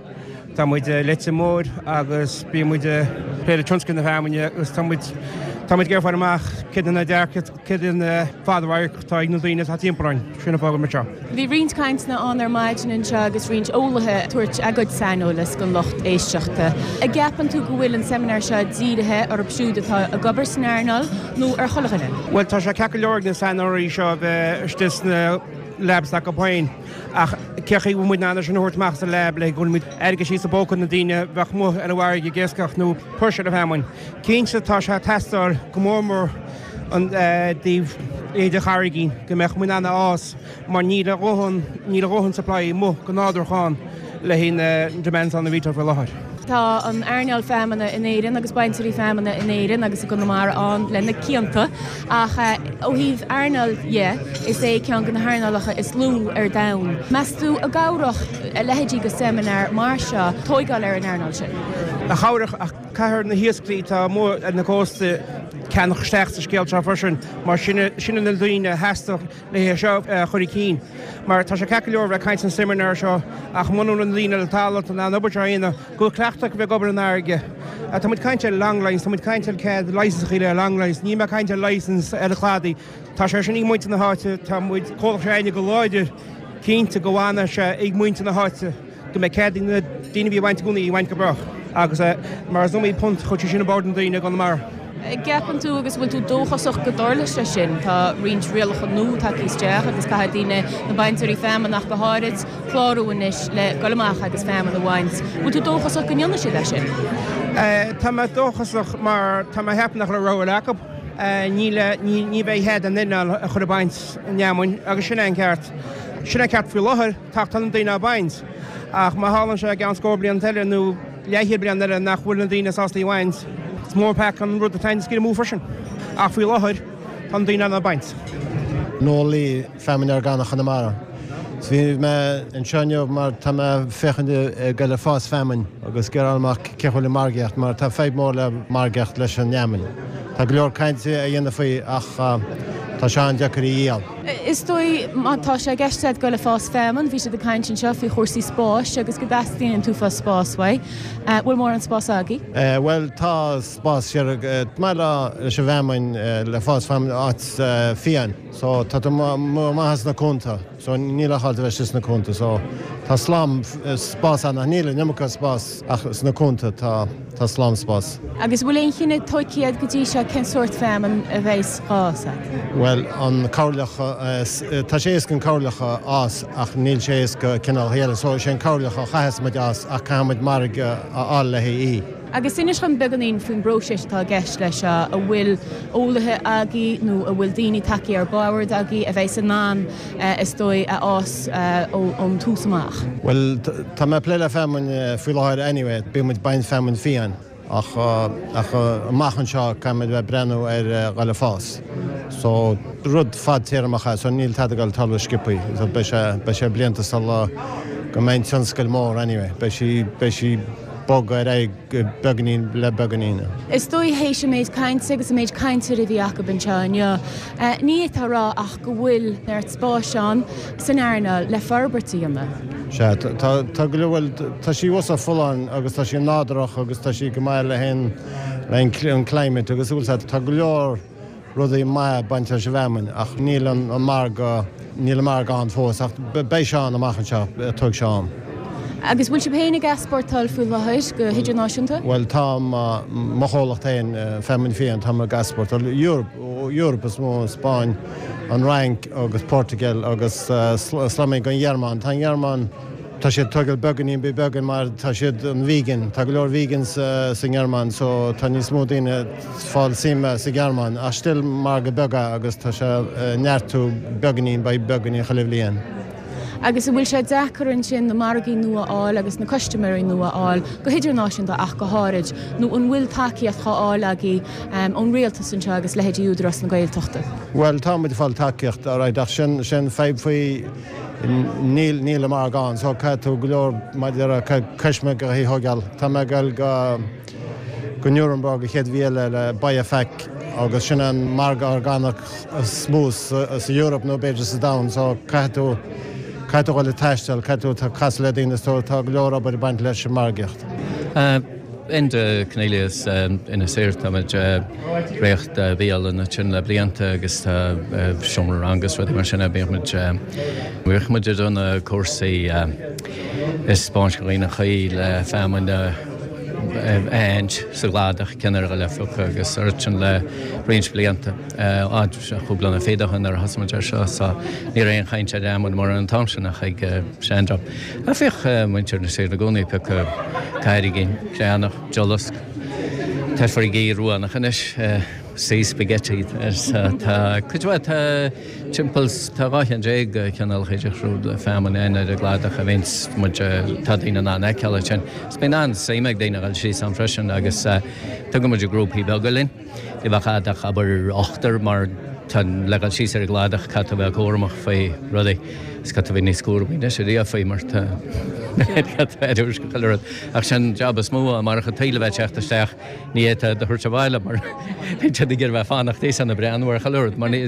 Tá muid i Leitir Móir agus bíonn muid ag plé le tionscal na feamainne agus tá muid tá muid ag iarraidh fáil amach céard na dearcadh, céard na fadradharc atá ag na daoine atá timpeall orainn. Sin an fáth go bhfuil muid anseo. Bhí roinnt cainteanna ann ar maidin anseo agus roinnt eolaithe ag tabhairt a gcuid saineolais don lucht éisteachta. An gceapann tú go bhfuil an seimineár seo dírithe orthu siúd atá ag obair san earnáil nó ar chuile dhuine? Bhuel, tá sé ceart go leor ag na saineolaithe seo a bheith istigh sna labs acu féin ach cé chaoi bhfuil muid in ann é sin a thabhairt amach as an lab le go bhfuil muid airgead síos i bpóca na daoine a bheadh amuigh ar an bhfarraige ag iascach nó puirséil na feamainn. Cinnte tá sé ag teastáil go mór mór ón dtaobh idir charraigín go mbeadh muid in ann a fhás mar níl a dhóthain níl a dhóthain supply amuigh go nádúrtha ann le haghaidh na demands ann a bhítear faoi láthair. Tá an earnáil feamainne in Éirinn agus bainteoirí feamainne in Éirinn agus i gConamara ann le na cianta ach ó thaobh earnáil dhe is é ceann de na hearnálacha is lú ar domhan. Meas tú an gcabhródh a leithéidí de seimineár mar seo tóigeáil ar an earnáil sin? Chabhródh ach Caithfear na hiascairí atá amuigh ar na cósta ceannach isteach sa scéal seo freisin mar sin sin na daoine a theastódh le é seo a chur i cinn. Mar tá sé ceart go leor a bheith ag caint san seimineár seo ach muna bhfuil na daoine ar talamh in ann an obair seo a dhéanamh, go bhfuil cleachtadh acu bheith ag obair an fharraige. Tá muid ag caint ar longlines, tá muid ag caint ar cead license a le longlines, níl mé ag caint ar license ar an chladaí. Tá sé sin ag muintir na háite, tá muid comhlacht seo againne go láidir cinnte go bhfanfaidh sé ag muintir na háite. go mbeidh cead ag na daoine a bhí ag baint i gcónaí a bhaint go brách agus mar is iomaí punt a chuir sé sin i bord na daoine i gConamara. An gceapann tú agus bhfuil tú dóchasach go dtarlóidh sé sin? Tá roinnt rialacha nua tagtha isteach agus caithfidh daoine, na bainteoirí feamainne ach go háirid, clárú anois le dul amach agus feamainn a bhaint. Bhfuil tú dóchasach go ndéanfaidh siad é sin? Tá mé dóchasach mar tá mé ag ceapadh nach raibh rogha eile acu. Ní ní bheidh cead aon duine a chur ag baint an fheamainn agus sin é an ceart. Sin é an ceart faoi láthair. Tá tá na daoine á baint, ach má tharlaíonn sé i gceann scór bliain eile nó leathchéad bliain eile nach bhfuil na daoine sásta í a bhaint, is mór an peaca an rud atá ag scaoileadh amú freisin. Ach faoi láthair, tá na daoine á baint. Noel Lee, Feamainn Orgánach Chonamara. Bhí mé anseo inniu mar tá mé ag féachaint ag goil ag fás feamainn agus ag iarraidh fáil amach cén chaoi bhfuil an margaíocht mar tá fadhb mór le margaíocht leis an fheamainn. Tá go leor cainte á dhéanamh faoi ach tá sé an-deacair a dhíol. Is dóigh, má tá sé i gceist agat dul ag fás feamainn, bhí siad ag caint anseo faoi chúrsaí spáis agus go dteastaíonn an t-uafás spáis uaidh. Bhfuil mórán spáis agaibh? Bhuel, tá spás siar maith leis an bhfeamainn, le fás feamainn, áit fiáin. So, tá tú maith sna cuanta. So, níl ach áit a bheith istigh sna cuanta. So, tá slám spás ann ach níl an iomarca spás ach sna cuanta tá. Tá slám spás. Agus bhfuil aon chinneadh tóigthe agat go dtí seo cén sórt feamainn a bheas á fhás agat? Bhuel, an coirleach, tá sé éasca an coirleach a fhás ach níl sé éasca cineálacha eile. So, is é an coirleach a chaithfeas muid a fhás ach caithfidh muid margadh a fháil le haghaidh í. Agus inis dhom beagáinín faoin bpróiseas atá i gceist leis seo. An bhfuil eolaithe agaibh nó an bhfuil daoine tagtha ar bord agaibh a bheas in ann is dóigh, a fhás ón tús amach? Bhuel, tá mé ag plé le feamainn faoi láthair anyway, bíonn muid ag baint feamainn fiáin. Ach ach amach anseo caithfimid bheith ag breathnú ar dhul ag fás. So rud fadtéarmach é so níl tada ag dul tarlú sciobthaí. So beidh sé beidh sé blianta sula go mbeidh an tionscal mór anyway. Beidh sí beidh sí bogadh ar aghaidh beagáinín le beagáinín. Is dóigh théis an méid cainte agus an méid cainteoirí a bhí acu anseo inniu, ní fhéadfá a rá ach go bhfuil neart spáis ann san earnáil le forbairt a dhéanamh. Sea, tá, tá go leor, bhuel, tá sí uasal folláin agus tá sí nádúrach agus tá sí go maith le haon, le an climate agus bhfuil 's a'd, tá go leor rudaí maithe ag baint leis an bhfeamainn ach níl an margadh, níl an margadh ann fós ach beidh sé ann amach anseo, tógfaidh sé am. Agus bhfuil sibh féin ag easpórtáil faoi láthair go hidirnáisiúnta? Bhuel tá, mo chomhlacht féin, Feamainn Fiáin, táim ag easpórtáil, Europe, Europe is mó, an Spáinn, an Fhrainc agus Portugal agus slamaí don Ghearmáin. Tá an Ghearmáin, Tá siad tógáil beagáinín by beagán mar tá siad an vegan, tá go leor vegans sa nGearmáin so tá níos mó daoine ag fáil suime sa Ghearmáin ach still margadh beag é agus tá sé ag neartú beagáinín by beagáinín chuile bhliain. Agus an bhfuil sé deacair ansin na margaí nua a fháil agus na custaiméirí nua a fháil, go hidirnáisiúnta ach go háirid, nó an bhfuil tacaíocht á fháil agaibh ón rialtas anseo agus leithéidí Údarás na Gaeltachta? Bhuel tá muid ag fáil tacaíocht alright ach sin sin fadhb faoi Níl, níl an margadh ann so caithfidh tú go leor maidir le custaiméir a thógáil. Tá mé ag dul go, go Nuremberg an chéad mhí eile le BioFach agus sin an margadh orgánach is mó sa, sa Europe nó b'fhéidir sa domhan so caithfidh tú, caithfidh tú dhul ag taisteal, caithfidh tú casadh le daoine so tá go leor obair ag baint leis an margaíocht. Enda Cornelius, Inis Oírr, Táimid ag reáchtáil bialann ansin le blianta agus tá seomra ranga agus rudaí mar sin. Bíonn muid, bhíodh muid ag déanamh cúrsaí ag 'spáint do dhaoine an chaoi le feamainn a aithint sa gcladach, cén uair a dhul á phiocadh agus ort sin le roinnt blianta. Cúpla bliain fichead ó shin nuair a thosaigh muid ar seo so ní raibh aon chaint ar fheamainn mórán an t-am sin ach ag seandream. Ach bhíodh muintir Inis Oírr i gcónaí ag piocadh cairrigín, creathnach, diollasc. Tá farraigí ruánach anois, sea spaghetti. Tá cuid mhaith, tá timpeall, tá 12 cheann de chineálacha difriúla feamainn ann ar an gcladach a bhíonns muid, tá daoine in ann a fheiceáil ansin. Is bíonn an-suim ag daoine a dhul síos ann freisin agus tugann muid grúpaí beaga linn. Ní bheadh a'd ach abair ochtar mar tá le dhul síos ar an gcladach caithfidh tú a bheith cúramach faoi rudaí is caithfidh tú a bheith níos cúramaí anois ariamh faoi mar tá caithfidh tú aire a thabhairt do chuile rud. Ach sin jab is mó amárach an taoille a bheith ag teacht isteach ní fhéadfá iad a thabhairt abhaile mar bíonn siad ag iarraidh bheith fanacht thíos ann ag breathnú ar chuile rud mar ní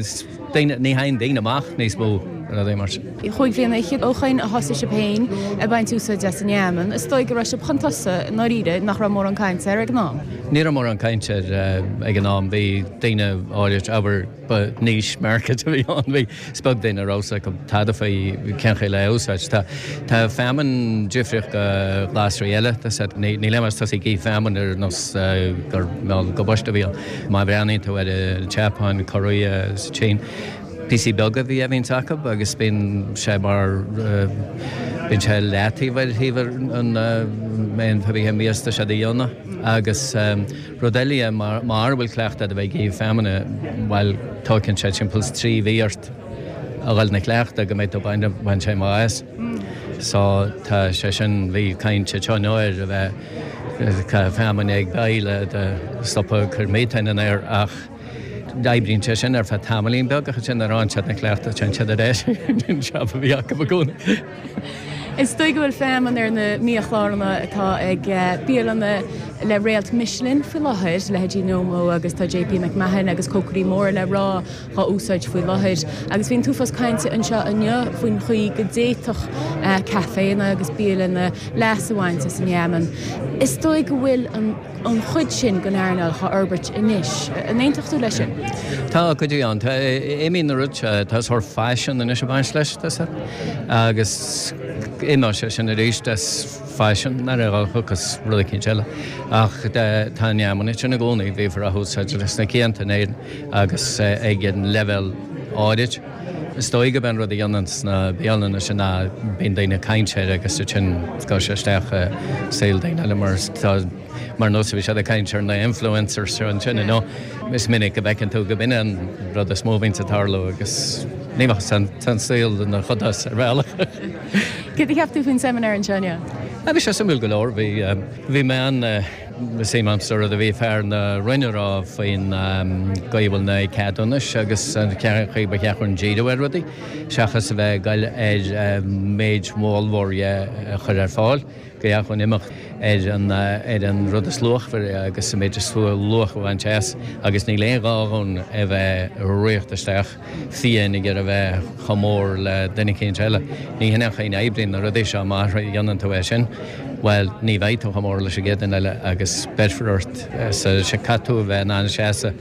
daoine ní théann daoine amach níos mó rudaí mar sin. Chúig bhliana fhichead ó shoin a thosaigh sibh féin ag baint úsáid as an fheamainn. Is dóigh go raibh sibh chun tosaigh i ndáiríre, nach raibh mórán cainte air ag an am? Ní raibh mórán cainte air ag an am. Bhí daoine áirid, abair, ba niche market a bhí ann. Bhí, is beag daoine a raibh 's acu tada faoi cén chaoi le é a úsáid. Tá, tá feamainn difríoch go glasraí eile. Tá said, ní, níl aon mhaith tosaí ag ithe feamainn ar nós gur mheall go boiste a bhí ann. Má bhreathnaíonn tú ar an tSeapáin, Korea, sa tSín, píosaí beaga a bhí a bhíonns acu agus bíonn sé mar, bíonn sé leataobh ar thaobh an aon bhíthe mias tá siad a dhéanamh agus rud eile dhe mara bhfuil cleachtadh a'd a bheith ag ithe feamainne, bhuel tóigeann sé timpeall is 3 mhí ort a dhul 'na cleachtadh go mbeidh tú ag baint sé maith as. So tá sé sin, bhí caint anseo inniu ar a bheith ag caitheamh feamainne ag béile do stopadh ag cur methane in aer ach oibríonn sé sin ar feadh tamaillín beag ach ansin nuair a fhaigheann siad 'na cleachtadh téann siad ar ais chuig an jab a bhí acu i gcónaí. Is dóigh go bhfuil feamainn ar na biachláranna atá ag bialanna le réalt Michelin faoi láthair, leithéidí Nobu agus tá JP McMahon agus cócairí móra le rá dhá úsáid faoi láthair. Agus bhí an t-uafás cainte anseo inniu faoin chaoi go d'fhéadfadh caiféanna agus bialanna leas a bhaint as an fheamainn. Is dóigh go bhfuil an an chuid sin den earnáil dhá fhorbairt anois. An aontódh tú leis sin? Tá cuid de ann. Tá, imíonn an rud seo, tá sórt faisean anois ag baint leis, tá sé. Agus imeoidh sé sin arís as faisean, nuair a thiocfas rud eicínt eile. Ach tá an fheamainn ansin i gcónaí, bhíofar á húsáid leis na cianta in Éirinn agus ag an leibhéal áirid. Is dóigh gurb é an rud a dhéanann sna bialanna sin ná bíonn daoine ag caint air agus ansin gabhann sé isteach i saol daoine eile mar tá mar nós a bhí siad ag caint ar na influencers seo ansin you know. Is minic a bhfeiceann tú go b'in é an rud is mó a bhíonns ag tarlú agus ní bheadh tá an saol ina chodás ar bhealach. Céard a cheap tú faoin seimineár anseo inniu? Bhí sé suimiúil go leor. Bhí bhí mé an. suim agam sa rud a bhí fear na Roinne a rá faoin gcaoi a bhfuil na ceadúnais agus an chaoi ba cheart dúinn díriú ar rudaí seachas a bheith ag goil ar méid ollmhór dhe a chur ar fáil. Go dheach dhúinn imeacht ar an ar an rud is luachmhaire agus an méid is luach a bhaint as agus níl aon ghá dhúinn a bheith ag ritheacht isteach fiáin ag iarraidh a bheith chomh mór le duine eicínt eile. Ní hin é an chaoi a n-oibríonn na rudaí seo, má dhéanann tú é sin, bhuel, ní bheidh tú chomh mór leis an gcéad duine eile agus beirfear ort sa caithfidh tú a bheith in ann seasamh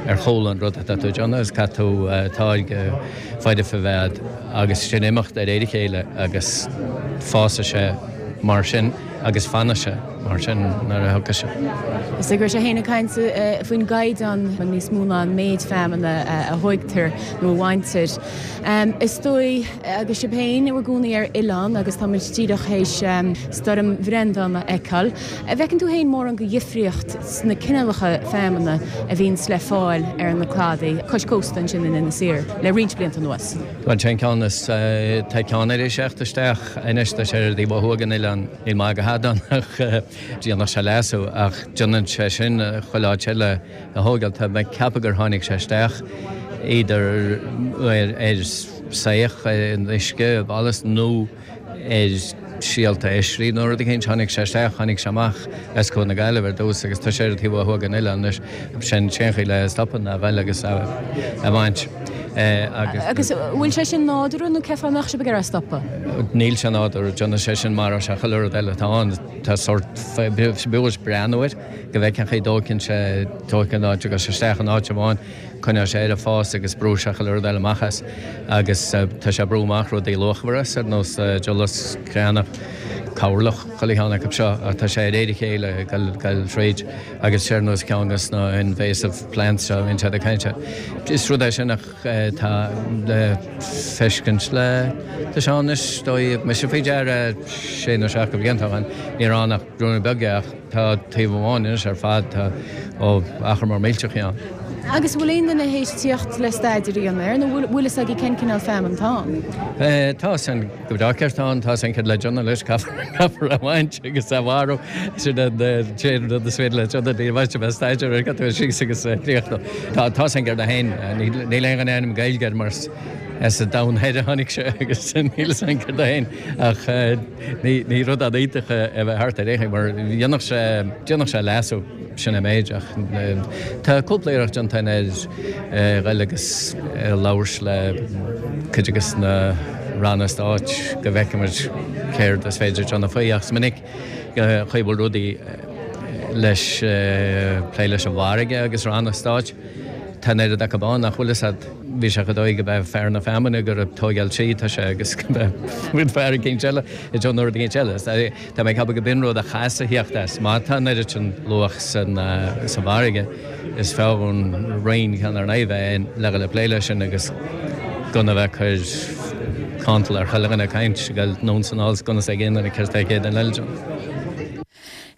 ar chúl an rud atá tú ag déanamh agus caithfidh tú táirge foirfe a bheith agat agus sin imeacht de réir a chéile agus fásfaidh sé mar sin agus fanfaidh sé mar sin nuair a thiocfaidh sé. Is go raibh sé féin ag caint faoin gcaighdeán níos mó ná an méid feamainne a thóigtear nó a bhaintear. Is dóigh, agus sibh féin i bhur gcónaí ar oileán agus tá muid díreach théis Stoirm Bhreandán a fheiceáil, an bhfeiceann tú féin mórán de dhifríocht sna cineálacha feamainne a bhíonns le fáil ar na cladaí cois cósta ansin in Inis Oírr le roinnt blianta anuas? Bhuel, sé an ceann is, tá ceann ar éis theacht isteach anois, tá sé ar an dtaobh ó thuaidh den oileán, níl maith go hada ann ach déanfaidh sé leasú ach déanann sé sin chuile áit eile a thógáil. Tá mé ag ceapadh gur tháinig sé isteach either ar saoch in uisce, i ballast nó ar síolta oisrí nó rud eicínt. Tháinig sé isteach, tháinig sé amach as Cuan na Gaillimhe ar dtús agus tá sé ar an taobh ó thuaidh den oileán anois. Sin an chaoi le stopadh ná ghoil agus a bhaint agus. Agus an bhfuil sé sin nádúrtha nó cén fáth a mbeadh sibh ag iarraidh stopadh? Níl sé nádúrtha. Déanann sé sin maróidh sé chuile rud eile atá ann. Tá sórt, b'fhiú breathnú air go bhfeicfeá cén chaoi a dtóigeann sé, tóigeann áit agus isteach in áit amháin. Coinneoidh sé air ag fás agus brúfaidh sé chuile rud eile amach as agus tá sé ag brú amach rudaí luachmhara as, ar nós diulus, creathnach, cabharlach, chuile cheann acu seo ach tá sé de réir a chéile ag goil thríd agus sé ar nós ceann de na invasive plants seo a bhíonn siad ag caint air. Is rud é sin ach tá le feiscint le, tá sé ann anois, dóigh, mise faoi deara sé nó seacht de bhlianta ó shin, ní raibh ann ach ruainne beag ach Tá taobh amháin anois ar fad, tá ó achar mór millteach ann. Agus an bhfuil aon duine théis tíocht le staidéar a dhéanamh air, nó bhfuil fhios agaibh cén cineál feamainn atá ann? Tá fhios againn go breá céard atá ann, tá fhios againn céard le déanamh leis, caithfear é a bhaint agus a mharú, sin an t-aon rud is féidir le déanamh, ní bheidh sé staidéar air, caithfidh tú síos agus críochnú. Tá fhios againn céard é féin, níl aon ainm Gaeilge air mar as an domhan thoir a tháinig sé agus níl fhios againn céard é féin ach Ní rud an-iontach é a bheith thart ar aon chaoi mar dhéanfadh sé, déanfadh sé leasú, sin an méid ach tá cúpla iarracht déanta againn ar ghoil agus labhairt le cuid de na ranna stáit go bhfeicfimid céard is féidir déanamh faoi ach is minic an chaoi a bhfuil rudaí leis, plé leis an bhfarraige agus ranna stáit. Tá an oiread acu ann nach bhfuil fhios a'd. Bhí sé chomh dóigh go b'é fear na feamainne gur ag tóigeáil tí atá sé agus go b'é fear eicínt eile ag déanamh rud eicínt eile. Tá mé ag ceapadh go b'in rud a chaithfeas a thíocht as. Má tá an oiread sin luach san sa bhfarraige is fearr dhúinn roinn ceann ar nigh bheith ann le dhul ag plé leis sin agus gan a bheith ag cur cantal ar chuile dhuine ag caint, ag dul anonn 's anall 's gan fhios ag aon duine céard atá ag aon duine eile.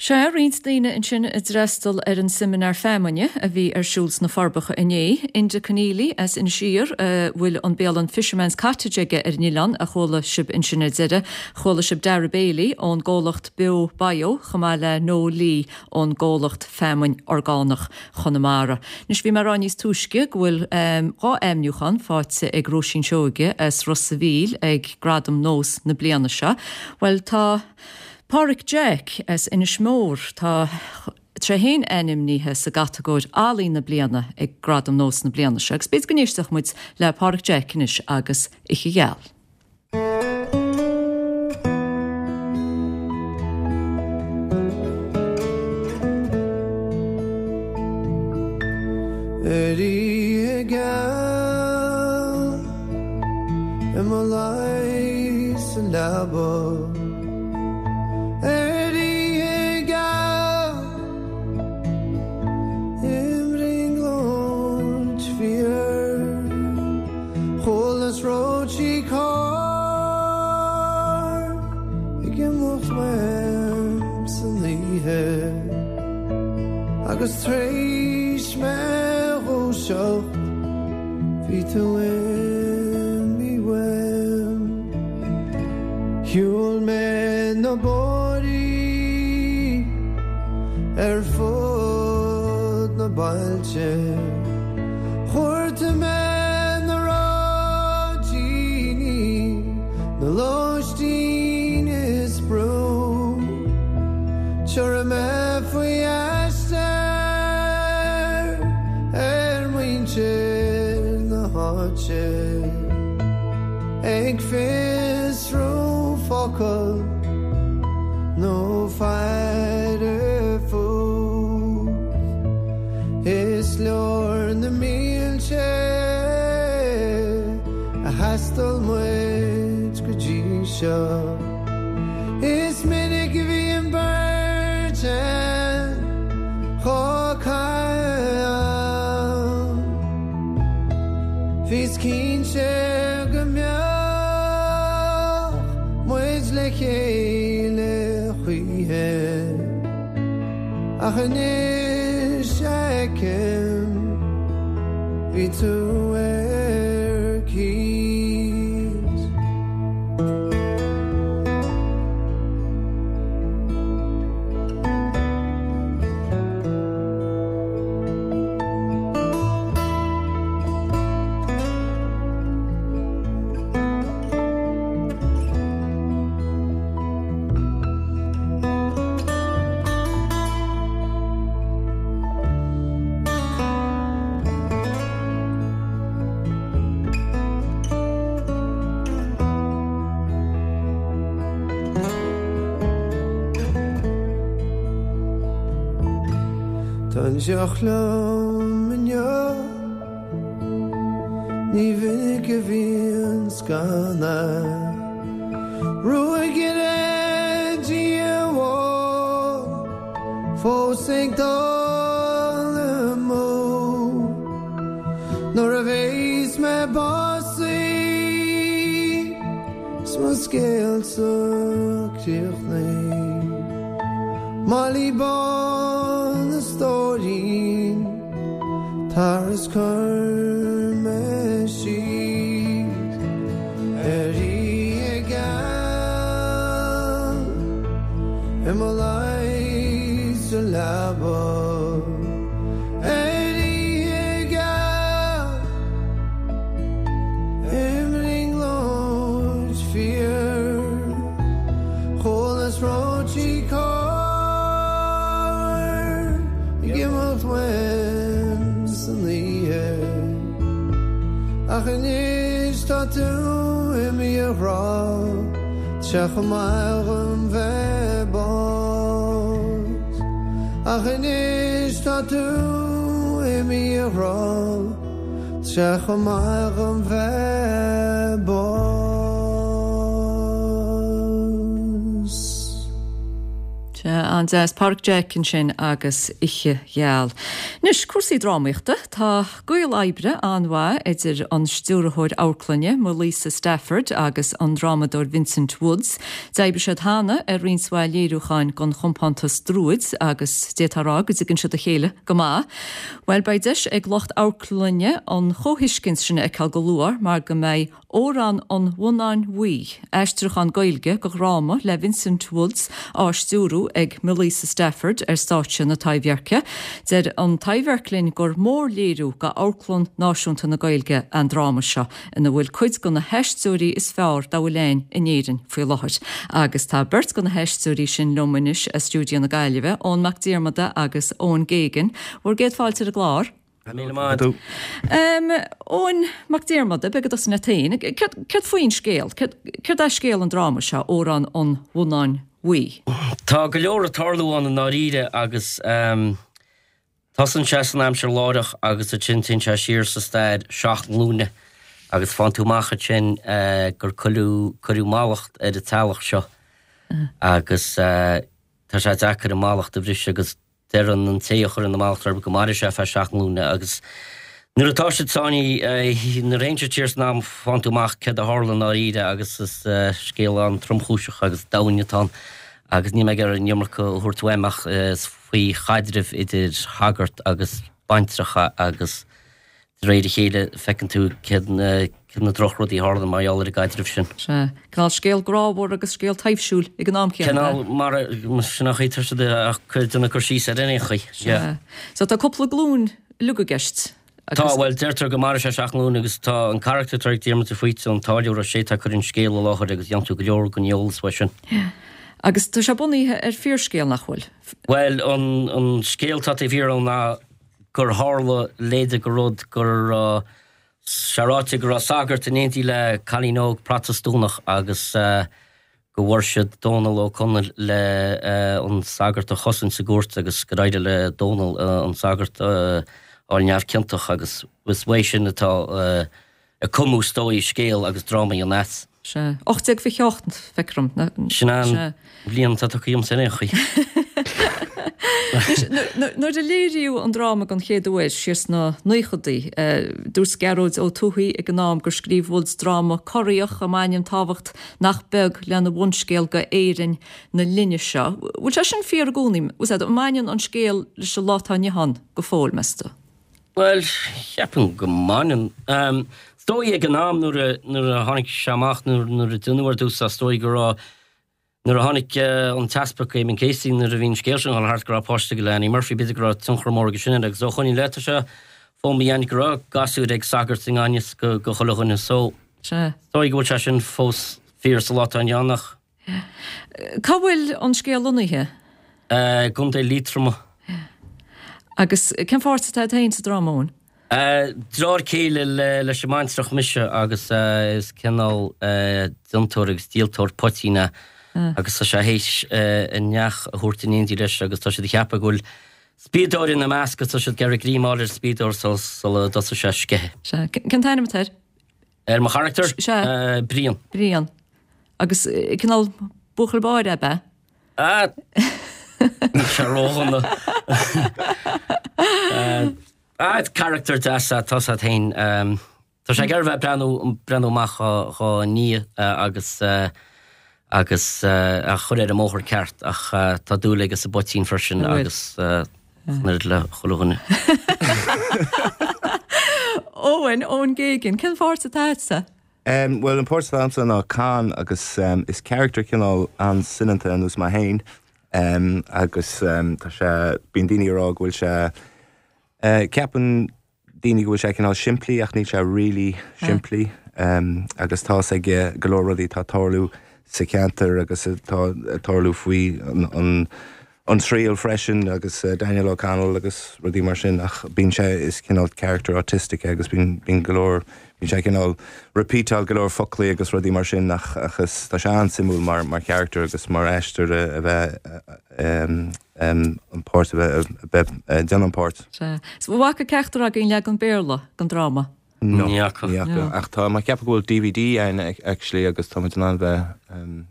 Sea, roinnt daoine ansin a d'fhreastal ar an seimineár feamainne a bhí ar siúl sna Forbacha inné. Enda Conneely as Inis Oírr a bhfuil an bialann Fisherman's Cottage aige ar an oileán a chuala sibh ansin ar deireadh. Chuala sibh Dara Bailey ón gcomhlacht Beo Bio chomh maith le Noel Lee ón gcomhlacht Feamainn Orgánach Chonamara. Anois bhí mé ag rá níos túisce go bhfuil 2 ainmniúchán faighte ag Róisín Seoige as Ros a' Mhíl ag Gradam Nós na bliana seo. Bhuel tá. Páraic Jack as Inis Mór, tá sé féin ainmnithe sa gcatagóir Ealaín na Bliana ag Gradam Nós na bliana seo agus b'fhéidir go n-éistfeadh muid le Páraic Jack anois agus Oíche Gheal. Ar oíche gheal i mo luí sa leaba. Ar oíche gheal i mbrionglóid fíor chualas róidí cairr ag imeacht uaim san oíche agus tar éis mé dhúiseacht bhí tú imithe uaim. Shiúil mé na bóithrí. Ar fud na bailte Chuartaigh mé na raidiní Na lóistín is brú Tiúrfaidh mé faoi aistear Ar mhuintir na háite Ag fiosrú focal nó faire fút. Is leor na mílte a thaistil muid go dtí seo. Is minic a bhí an bheirt againn chomh calm. Bhíos cinnte go mbeadh muid le chéile choíche. Ach anois a fheicim, bhí tú ar cíos. Tá an deoch liom inniu, ní mhinic a bhíonns gan é. Ruagaire diabhal fós ag dul amú. Nuair a bheas mé básaithe 's mo scéalsa críochnaithe, Molly bán a stóirín, tar is cuir mé síos ar oíche gheal i mo luí sa leaba ar oíche gheal i mbrionglóid fíor chualas reoití carr ag imeacht uaim san oíche ach anois tá tú imithe a ghrá tá sé chomh maith dhom bheith bás ach anois tá tú imithe a ghrá tá sé chomh maith dhom bheith bás. Sea, an-deas. Páraic Jeaic ansin agus Oíche Gheal. Anois, cúrsaí drámaíochta. Tá gaol oibre an-mhaith idir an stiúrthóir amharclainne, Maelíosa Stafford, agus an drámadóir Vincent Woods. D'oibrigh siad cheana ar roinnt mhaith léiriúcháin don chompántas Druid agus d'fhéadfá a rá go dtuigeann siad a chéile go maith. Bhuel, beidh deis ag lucht amharclainne an chomhthuiscint sin a fheiceáil go luath mar go mbeidh Órán an Bhonnáin Bhuí, aistriúchán Gaeilge de dhráma le Vincent Woods á stiúrú ag Maelíosa Stafford ar stáitse na Taibhdheirce. Deir an Taibhdhearc linn gur mórléiriú d'Amharclann Náisiúnta na Gaeilge an dráma seo, ina bhfuil cuid de na haisteoirí is fearr dá bhfuil ann in Éirinn faoi láthair. Agus tá beirt de na haisteoirí sin liom anois as stiúideo na Gaillimhe, Eoin Mac Diarmada agus Eoin Geoghegan. Bhur gcéad fáilte ar an gclár. Míle maith agat. Eoin Mac Diarmada, beidh ag tosú leat féin. Céard faoin scéal? Céard é scéal an dráma seo, Órán an Bhonnáin Bhuí? Tá go leor ag tarlú ann i ndáiríre agus tosaíonn sé san aimsir láithreach agus ansin téann sé siar sa stair seacht nglúine agus faigheann tú amach ansin gur cuireadh mallacht ar an teaghlach seo agus tá sé deacair an mallacht a bhriseadh agus Deireann an té a chuireann an mallacht orthu go mairfidh sé feadh seacht nglúine agus nuair atá siad sáinnithe, nuair a théann siad siar san am faigheann tú amach céard a tharla i ndáiríre agus is scéal an-tromchúiseach agus domhain atá ann agus níl mé ag iarraidh an iomarca a thabhairt uaim ach is faoi chaidreamh idir shagart agus baintreach agus de réir a chéile feiceann tú céard. Na drochrudaí a tharlann mar gheall ar an gcaidreamh sin. Sea. Cineál scéal grámhar agus scéal taibhsiúil ag an am céanna, ab ea? Cineál mar a, sin an chaoi atá siad ag déanamh cur síos air in aon chaoi. Sea. So tá cúpla glúin uilig i gceist agus. Tá, bhuel, deirtear go mairfidh sé seacht nglúin agus tá an carachtar atá ag Diarmuid de Faoite, an táilliúir, is é atá ag cur an scéil i láthair agus dhéanann tú go leor den eolas uaidh sin. Agus tá sé bunaithe ar fíorscéal, nach bhfuil? Bhuel, an, an scéal atá taobh thiar ann ná gur tharla leithéid de rud go raibh sé ráite go raibh sagart in éindí le cailín óg Protastúnach agus go bhfuair siad Dónal Ó Conaill le an sagart a chosaint sa gcúirt agus gur éirigh le Dónal an sagart a fháil neamhchiontach agus is uaidh sin atá a cumadh is dóigh scéal agus dráma an as. Sea. 1828, feictear dom. Sin an bhliain atá tugtha dhomsa ar aon chaoi. Anois, nuair a léiríodh an dráma den chéad uair, siar sna naochadaí, dúirt Gearóid Ó Tuathaigh ag an am gur scríobh Woods dráma corraitheach a mbaineann tábhacht nach beag lena bhunscéal go Éirinn na linne seo. Bhfuil sé sin fíor i gcónaí? An mbaineann an scéal leis an lá atá inniu ann go fóill, meas tú? Bhuel, cheapfainn go mbaineann. Is dóigh ag an am nuair a, nuair a tháinig sé amach, nuair, nuair a deineadh ar dtús, is dóigh go raibh, nuair a tháinig an tEaspag Eamon Casey, nuair a bhí an scéal sin ag dul thart go raibh páirt aige le Annie Murphy, b'fhéidir go raibh tionchar mór aige sin air agus ó shoin i leith tá sé fó mo dhéine go raibh gasúir ag sagart i ngan fhios go, go chuile dhuine so Sea. is dóigh go bhfuil sé sin fós fíor sa lá atá inniu ann ach. Cá bhfuil an scéal lonnaithe? I gContae Liatroma. Agus cén pháirt atá agat féin sa dráma, Eoin? Deartháir céile leis an mbaintreach mise agus is cineál déantóir agus díoltóir poitín é agus tá sé théis a neach a thabhairt in éindí leis agus tá siad ag ceapadh go bhfuil spiadóir ina measc agus tá siad ag iarraidh greim a fháil ar an spiadóir sula dtosóidh sé ag sceitheadh. Sea. Cén t-ainm atá air? Ar mo charachtar? Sea. Brian. Brian. Agus cineál buachaill báire ab ea? Ah! Níl sé ródhona. Ah, carachtar deas é, tá sé féin. Tá sé ag iarraidh bheith breathnú, breathnú amach dhá nia agus agus a chur ar an mbóthar ceart ach tá dúil aige sa bpoitín freisin agus an oiread le chuile dhuine. Eoin, Eoin Geoghegan, cén pháirt atá agatsa? Bhuel, an páirt atá agamsa ná Con agus is character cineál an-soineanta ar nós mé féin agus tá sé, bíonn daoine ag rá go bhfuil sé, ceapann daoine go bhfuil sé cineál simplí ach níl sé really simplí agus tá fhios aige go leor rudaí atá ag tarlú sa cheantar agus atá ag tarlú faoi an an triail freisin agus Daniel O'Connell agus rudaí mar sin ach bíonn sé, is cineál character autistic é agus bíonn, bíonn go leor, bíonn sé cineál repeatáil go leor foclaí agus rudaí mar sin ach, ach is, tá sé an-suimiúil mar, mar character agus mar aisteoir a bheith an páirt a bheith, a bheith ag déanamh an páirt. Sea. So an bhfaca ceachtar agaibh an leagan Béarla den dráma? No. Ní fhaca. Ní fhaca. Ach tá mé ag ceapadh go bhfuil DVD ann actually agus tá muid in ann bheith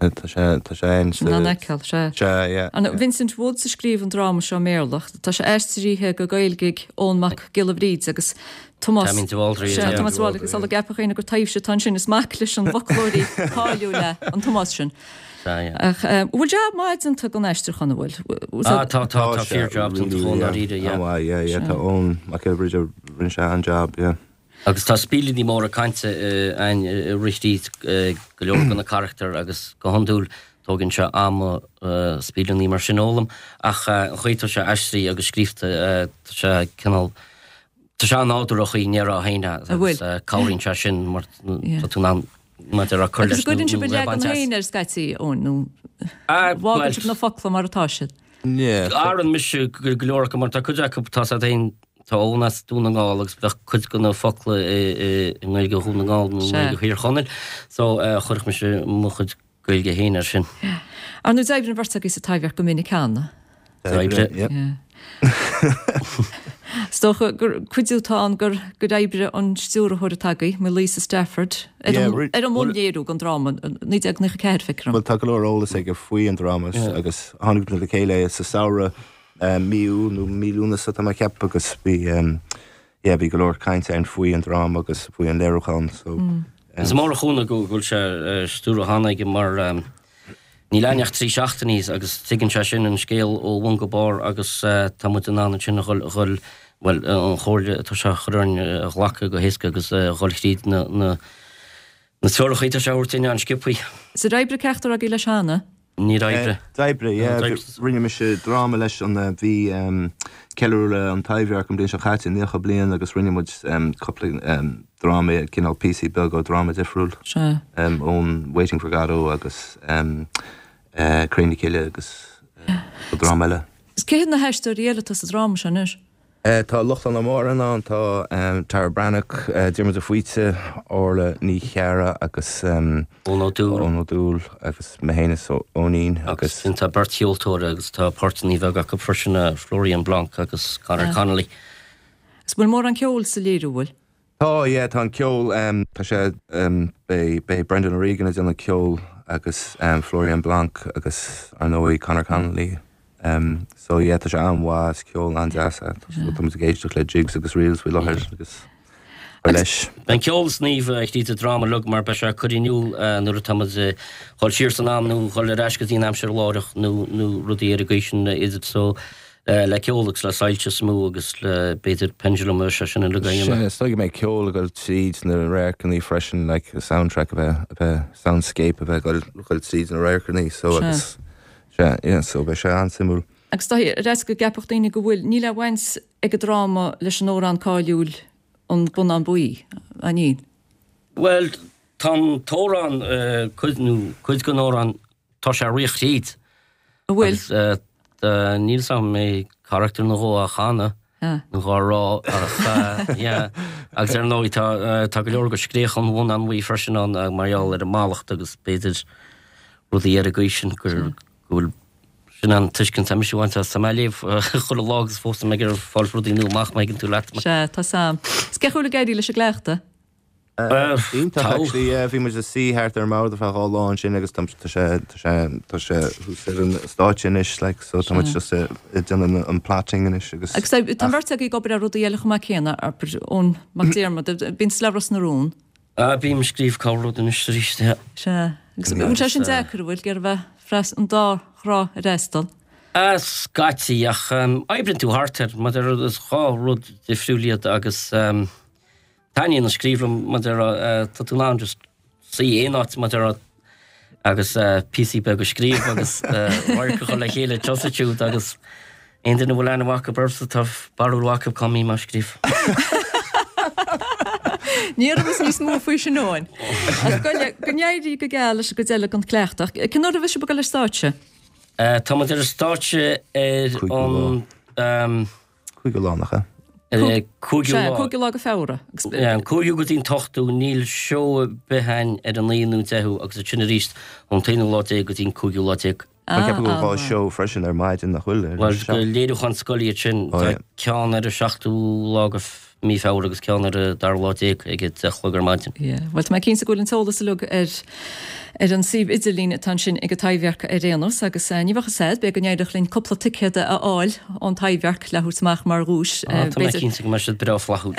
Tá sé, tá sé ann sa. In ann a fheiceáil, sea. Sea, yeah. An Vincent Woods a scríobh an dráma seo i mBéarla. Tá sé aistrithe go Gaeilge ag Eoin Mac Giolla Bhríde agus Tomás. Taimín de Bhaldraithe. Sea, Tomás de Bhaldraithe. Sula gceapfadh éinne gur taibhse atá ansin, is mac leis an bhfoclóirí cáiliúil é an Tomás sin. Sea, yeah. Ach bhfuil jab maith déanta den aistriúchán, an bhfuil? Ah, tá, tá, tá fíor-jab déanta dhó i ndáiríre, yeah. An-mhaith, yeah, yeah. Tá Eoin Mac Giolla Bhríde, rinne sé an-jab, yeah. Agus tá spíolíní móra cainte ann ag rith thríd go leor de na carachtair agus go hiondúil tógann sé am spíolíní mar sin a fhoghlaim ach an chaoi atá sé aistrithe agus scríofa tá sé cineál, tá sé an-nádúrtha an chaoi a ndéarfá féin é agus cabhraíonn sé sin mar tá tú in ann maidir le cur leis nó le baint as. Agus an gcuireann sibh bhur leagan féin air scaití, Eoin, nó fágann sibh na focla mar atá siad? Athraíonn mise go leor acu mar tá cuid acu tá siad féin Tá Eoin as Dún na nGall agus bheadh cuid de na focla i nGaeilge Dhún na nGall nó i nGaeilge Thír Chonaill so chuirfeadh mise mo chuid Gaeilge féin air sin. Ar ndóigh d'oibrigh an bheirt agaibh sa Taibhdhearc go minic cheana. D'oibrigh, yep. Is dócha gur cuidiú atá ann gur gur oibrigh an stiúrthóir atá agaibh, Maelíosa Stafford, ar an ar an mbunléiriú den dráma, 1994 feictear dom. Bhuel tá go leor eolas aige faoi an dráma agus tháinig muid le chéile sa samhradh mí Iúil nó mí Lúnasa tá mé ag ceapadh agus bhí yeah bhí go leor cainte ann faoi an dráma agus faoi an léiriúchán so. Is mór an chúnamh go bhfuil sé á stiúradh cheana aige mar níl ann ach 3 seachtainí agus tuigeann sé sin an scéal ó bhun go barr agus tá muid in ann ansin a dhul, a dhul. Bhuel, an chomhairle atá sé a chur orainn a ghlacadh go héasca agus a dhul thríd na na treoracha atá sé a thabhairt dúinn an-sciobthaí. Is ar oibrigh ceachtar agaibh leis cheana? Níor oibrigh. D'oibrigh, yeah. Rinne mise dráma leis an, bhí ceiliúradh an Taibhdhearc an bhliain seo caite, 90 bliain, agus rinne muid cúpla dráma, cineál píosaí beaga ó dráma difriúil. Sea. Ón Waiting for Godot agus Cré na Cille agus dráma eile. Is cé hiad na haisteoirí eile atá sa dráma seo anois? Tá Lochlainn Ó Mórdha ann, tá Tara Breathnach, Diarmuid de Faoite, Orla Ní Chearra agus Eoin Ó Dúill. Eoin Ó Dúill agus mé féin is Eoinín agus. Agus tá beirt cheoltóir agus tá páirteanna beaga acu freisin, Florian Blanc agus Conor Connolly. Is bhfuil mórán ceoil sa léiriú, bhfuil? Tá, yeah, tá an ceol, tá sé, beidh, beidh Brendan O'Regan ag déanamh ceol agus Florian Blanc agus ar ndóigh Conor Connolly. So yeah, tá sé an-mhaith, is ceol an-deas é. Tá muid ag éisteacht le jigs agus reels faoi láthair agus ar leis. Beidh an ceol sníomh thríd an dráma uilig mar beidh sé ag cur in iúl nuair atá muid ag dhul siar san am nó dhul ar ais go dtí an aimsir láithreach nó nó rudaí ar an gcaoi sin idir so le ceol agus le soilse is mó agus le, b'fhéidir, pendulum agus sé sin uilig a dhéanamh. Sea, is dóigh go mbeidh ceol ag dul tríd na radharcanna freisin, like soundtrack a bheith, a bheith, soundscape a bheith ag dul, dul tríd na radharcanna, so agus, sea, yeah, so beidh sé an-suimiúil. Agus tá a fhios go gceapfadh daoine go bhfuil, níl aon bhaint ag an dráma leis an amhrán cáiliúil An Bonnán Buí, an níl? Bhuel, tá an t-amhrán, cuid, nó cuid den amhrán, Tá sé ag rith thríd. An bhfuil? Agus níl 'fhios a'm an mbeidh carachtar nó dhó á chanadh nó dhá rá ach yeah. Agus ar ndóigh tá tá go leor de scréach an bhonnáin bhuí freisin ann mar gheall ar an mallacht agus b'fhéidir rudaí ar an gcaoi sin gur go bhfuil sin an tuiscint atá mise a bhaint as. Tá mé ag léamh chuile lá agus fós tá mé ag iarraidh fáil rudaí nua amach má thuigeann tú leat. Sea, tá 'fhios a'm. Is cén chaoi a bhfuil ag éirí leis an gcleachtadh? Iontach actually, yeah, bhí muid ag suí thart ar an mbord ar feadh 2 lá ansin agus tá tá sé tá sé tá sé thuas ar an stáitse anois like so tá muid just ag déanamh an plotting anois agus Agus tá tá an bheirt agaibh ag obair ar rudaí eile chomh maith céanna, abair, Eoin Mac Diarmada, bíonn tú le Ros na Rún. Ah, bím ag scríobh corr rud anois arís, yeah. Sea, agus an bhfuil sé sin deacair, an bhfuil, ag iarraidh bheith freas an dá thrá a fhreastal? Ah, scaití, ach oibríonn tú thart air, mar is dhá rud difriúil iad agus Taitníonn an scríobh liom mar a déarfá, tá tú in ann just suí aon áit mar a déarfá agus píosaí beaga a scríobh agus radharc a chur le chéile tusa siúd agus aon duine a bhfuil aithne mhaith acu ormsa tá barúil mhaith acu cá mbím á scríobh. Ní rabhas níos mó faoi sin Eoin. Ach go n-éirí go geal leis an gcuid eile den chleachtadh. Cén uair a bheidh sibh ag dul ar stáitse? Tá muid ar an stáitse ar an. Cúigiú lá, nach ea? Cúigiú lá. Cúigiú lá de Feabhra. An cúigiú go dtí an t-ochtú, níl seó ar bith againn ar an naoú nó deichiú agus ansin arís ón t-aonú lá déag go dtí an cúigiú lá déag. Tá ceapadh go bhfuil dhá seó freisin ar maidin, nach bhfuil? Bhuel, léiriúchán scoile iad sin. Tá ceann ar an seachtú lá de mí Feabhra agus ceann ar an dara lá déag ag a deich a chlog ar maidin. Yeah. Bhuel, tá mé cinnte go bhfuil an t-eolas uilig ar ar an suíomh idirlín atá ansin ag an Taibhdhearc ar aon nós agus ní bheadh fhios a'd, b'fhéidir go n-éireodh linn cúpla ticéad a fháil ón Taibhdhearc le thabhairt amach mar dhuais. Ah, tá mé cinnte go mbeidh siad breá flaithiúil.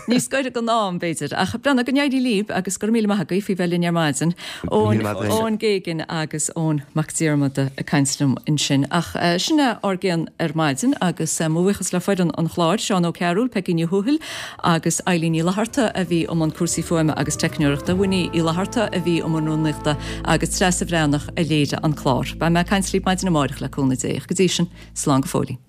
Níos gaire don am, b'fhéidir. Ach breathnaigh, go n-éirí libh agus go raibh míle maith agaibh faoi bheith linn ar maidin. Eoin, Eoin Geoghegan agus Eoin Mac Diarmada ag caint liom ansin. Ach sin é ár gcion ar maidin agus mo bhuíochas le foireann an chláir, Seán Ó Cearúil, Peigí Ní Thuathail agus Eilín Ní Fhlatharta a bhí i mbun cúrsaí fuaime agus teicneoireachta, Winnie Uí Fhlatharta a bhí i mbun rúnaíochta agus Treasa Bhreathnach a léirigh an clár. Beidh mé ag caint libh maidin amárach le cúnamh Dé. Go dtí sin, slán go fóillín.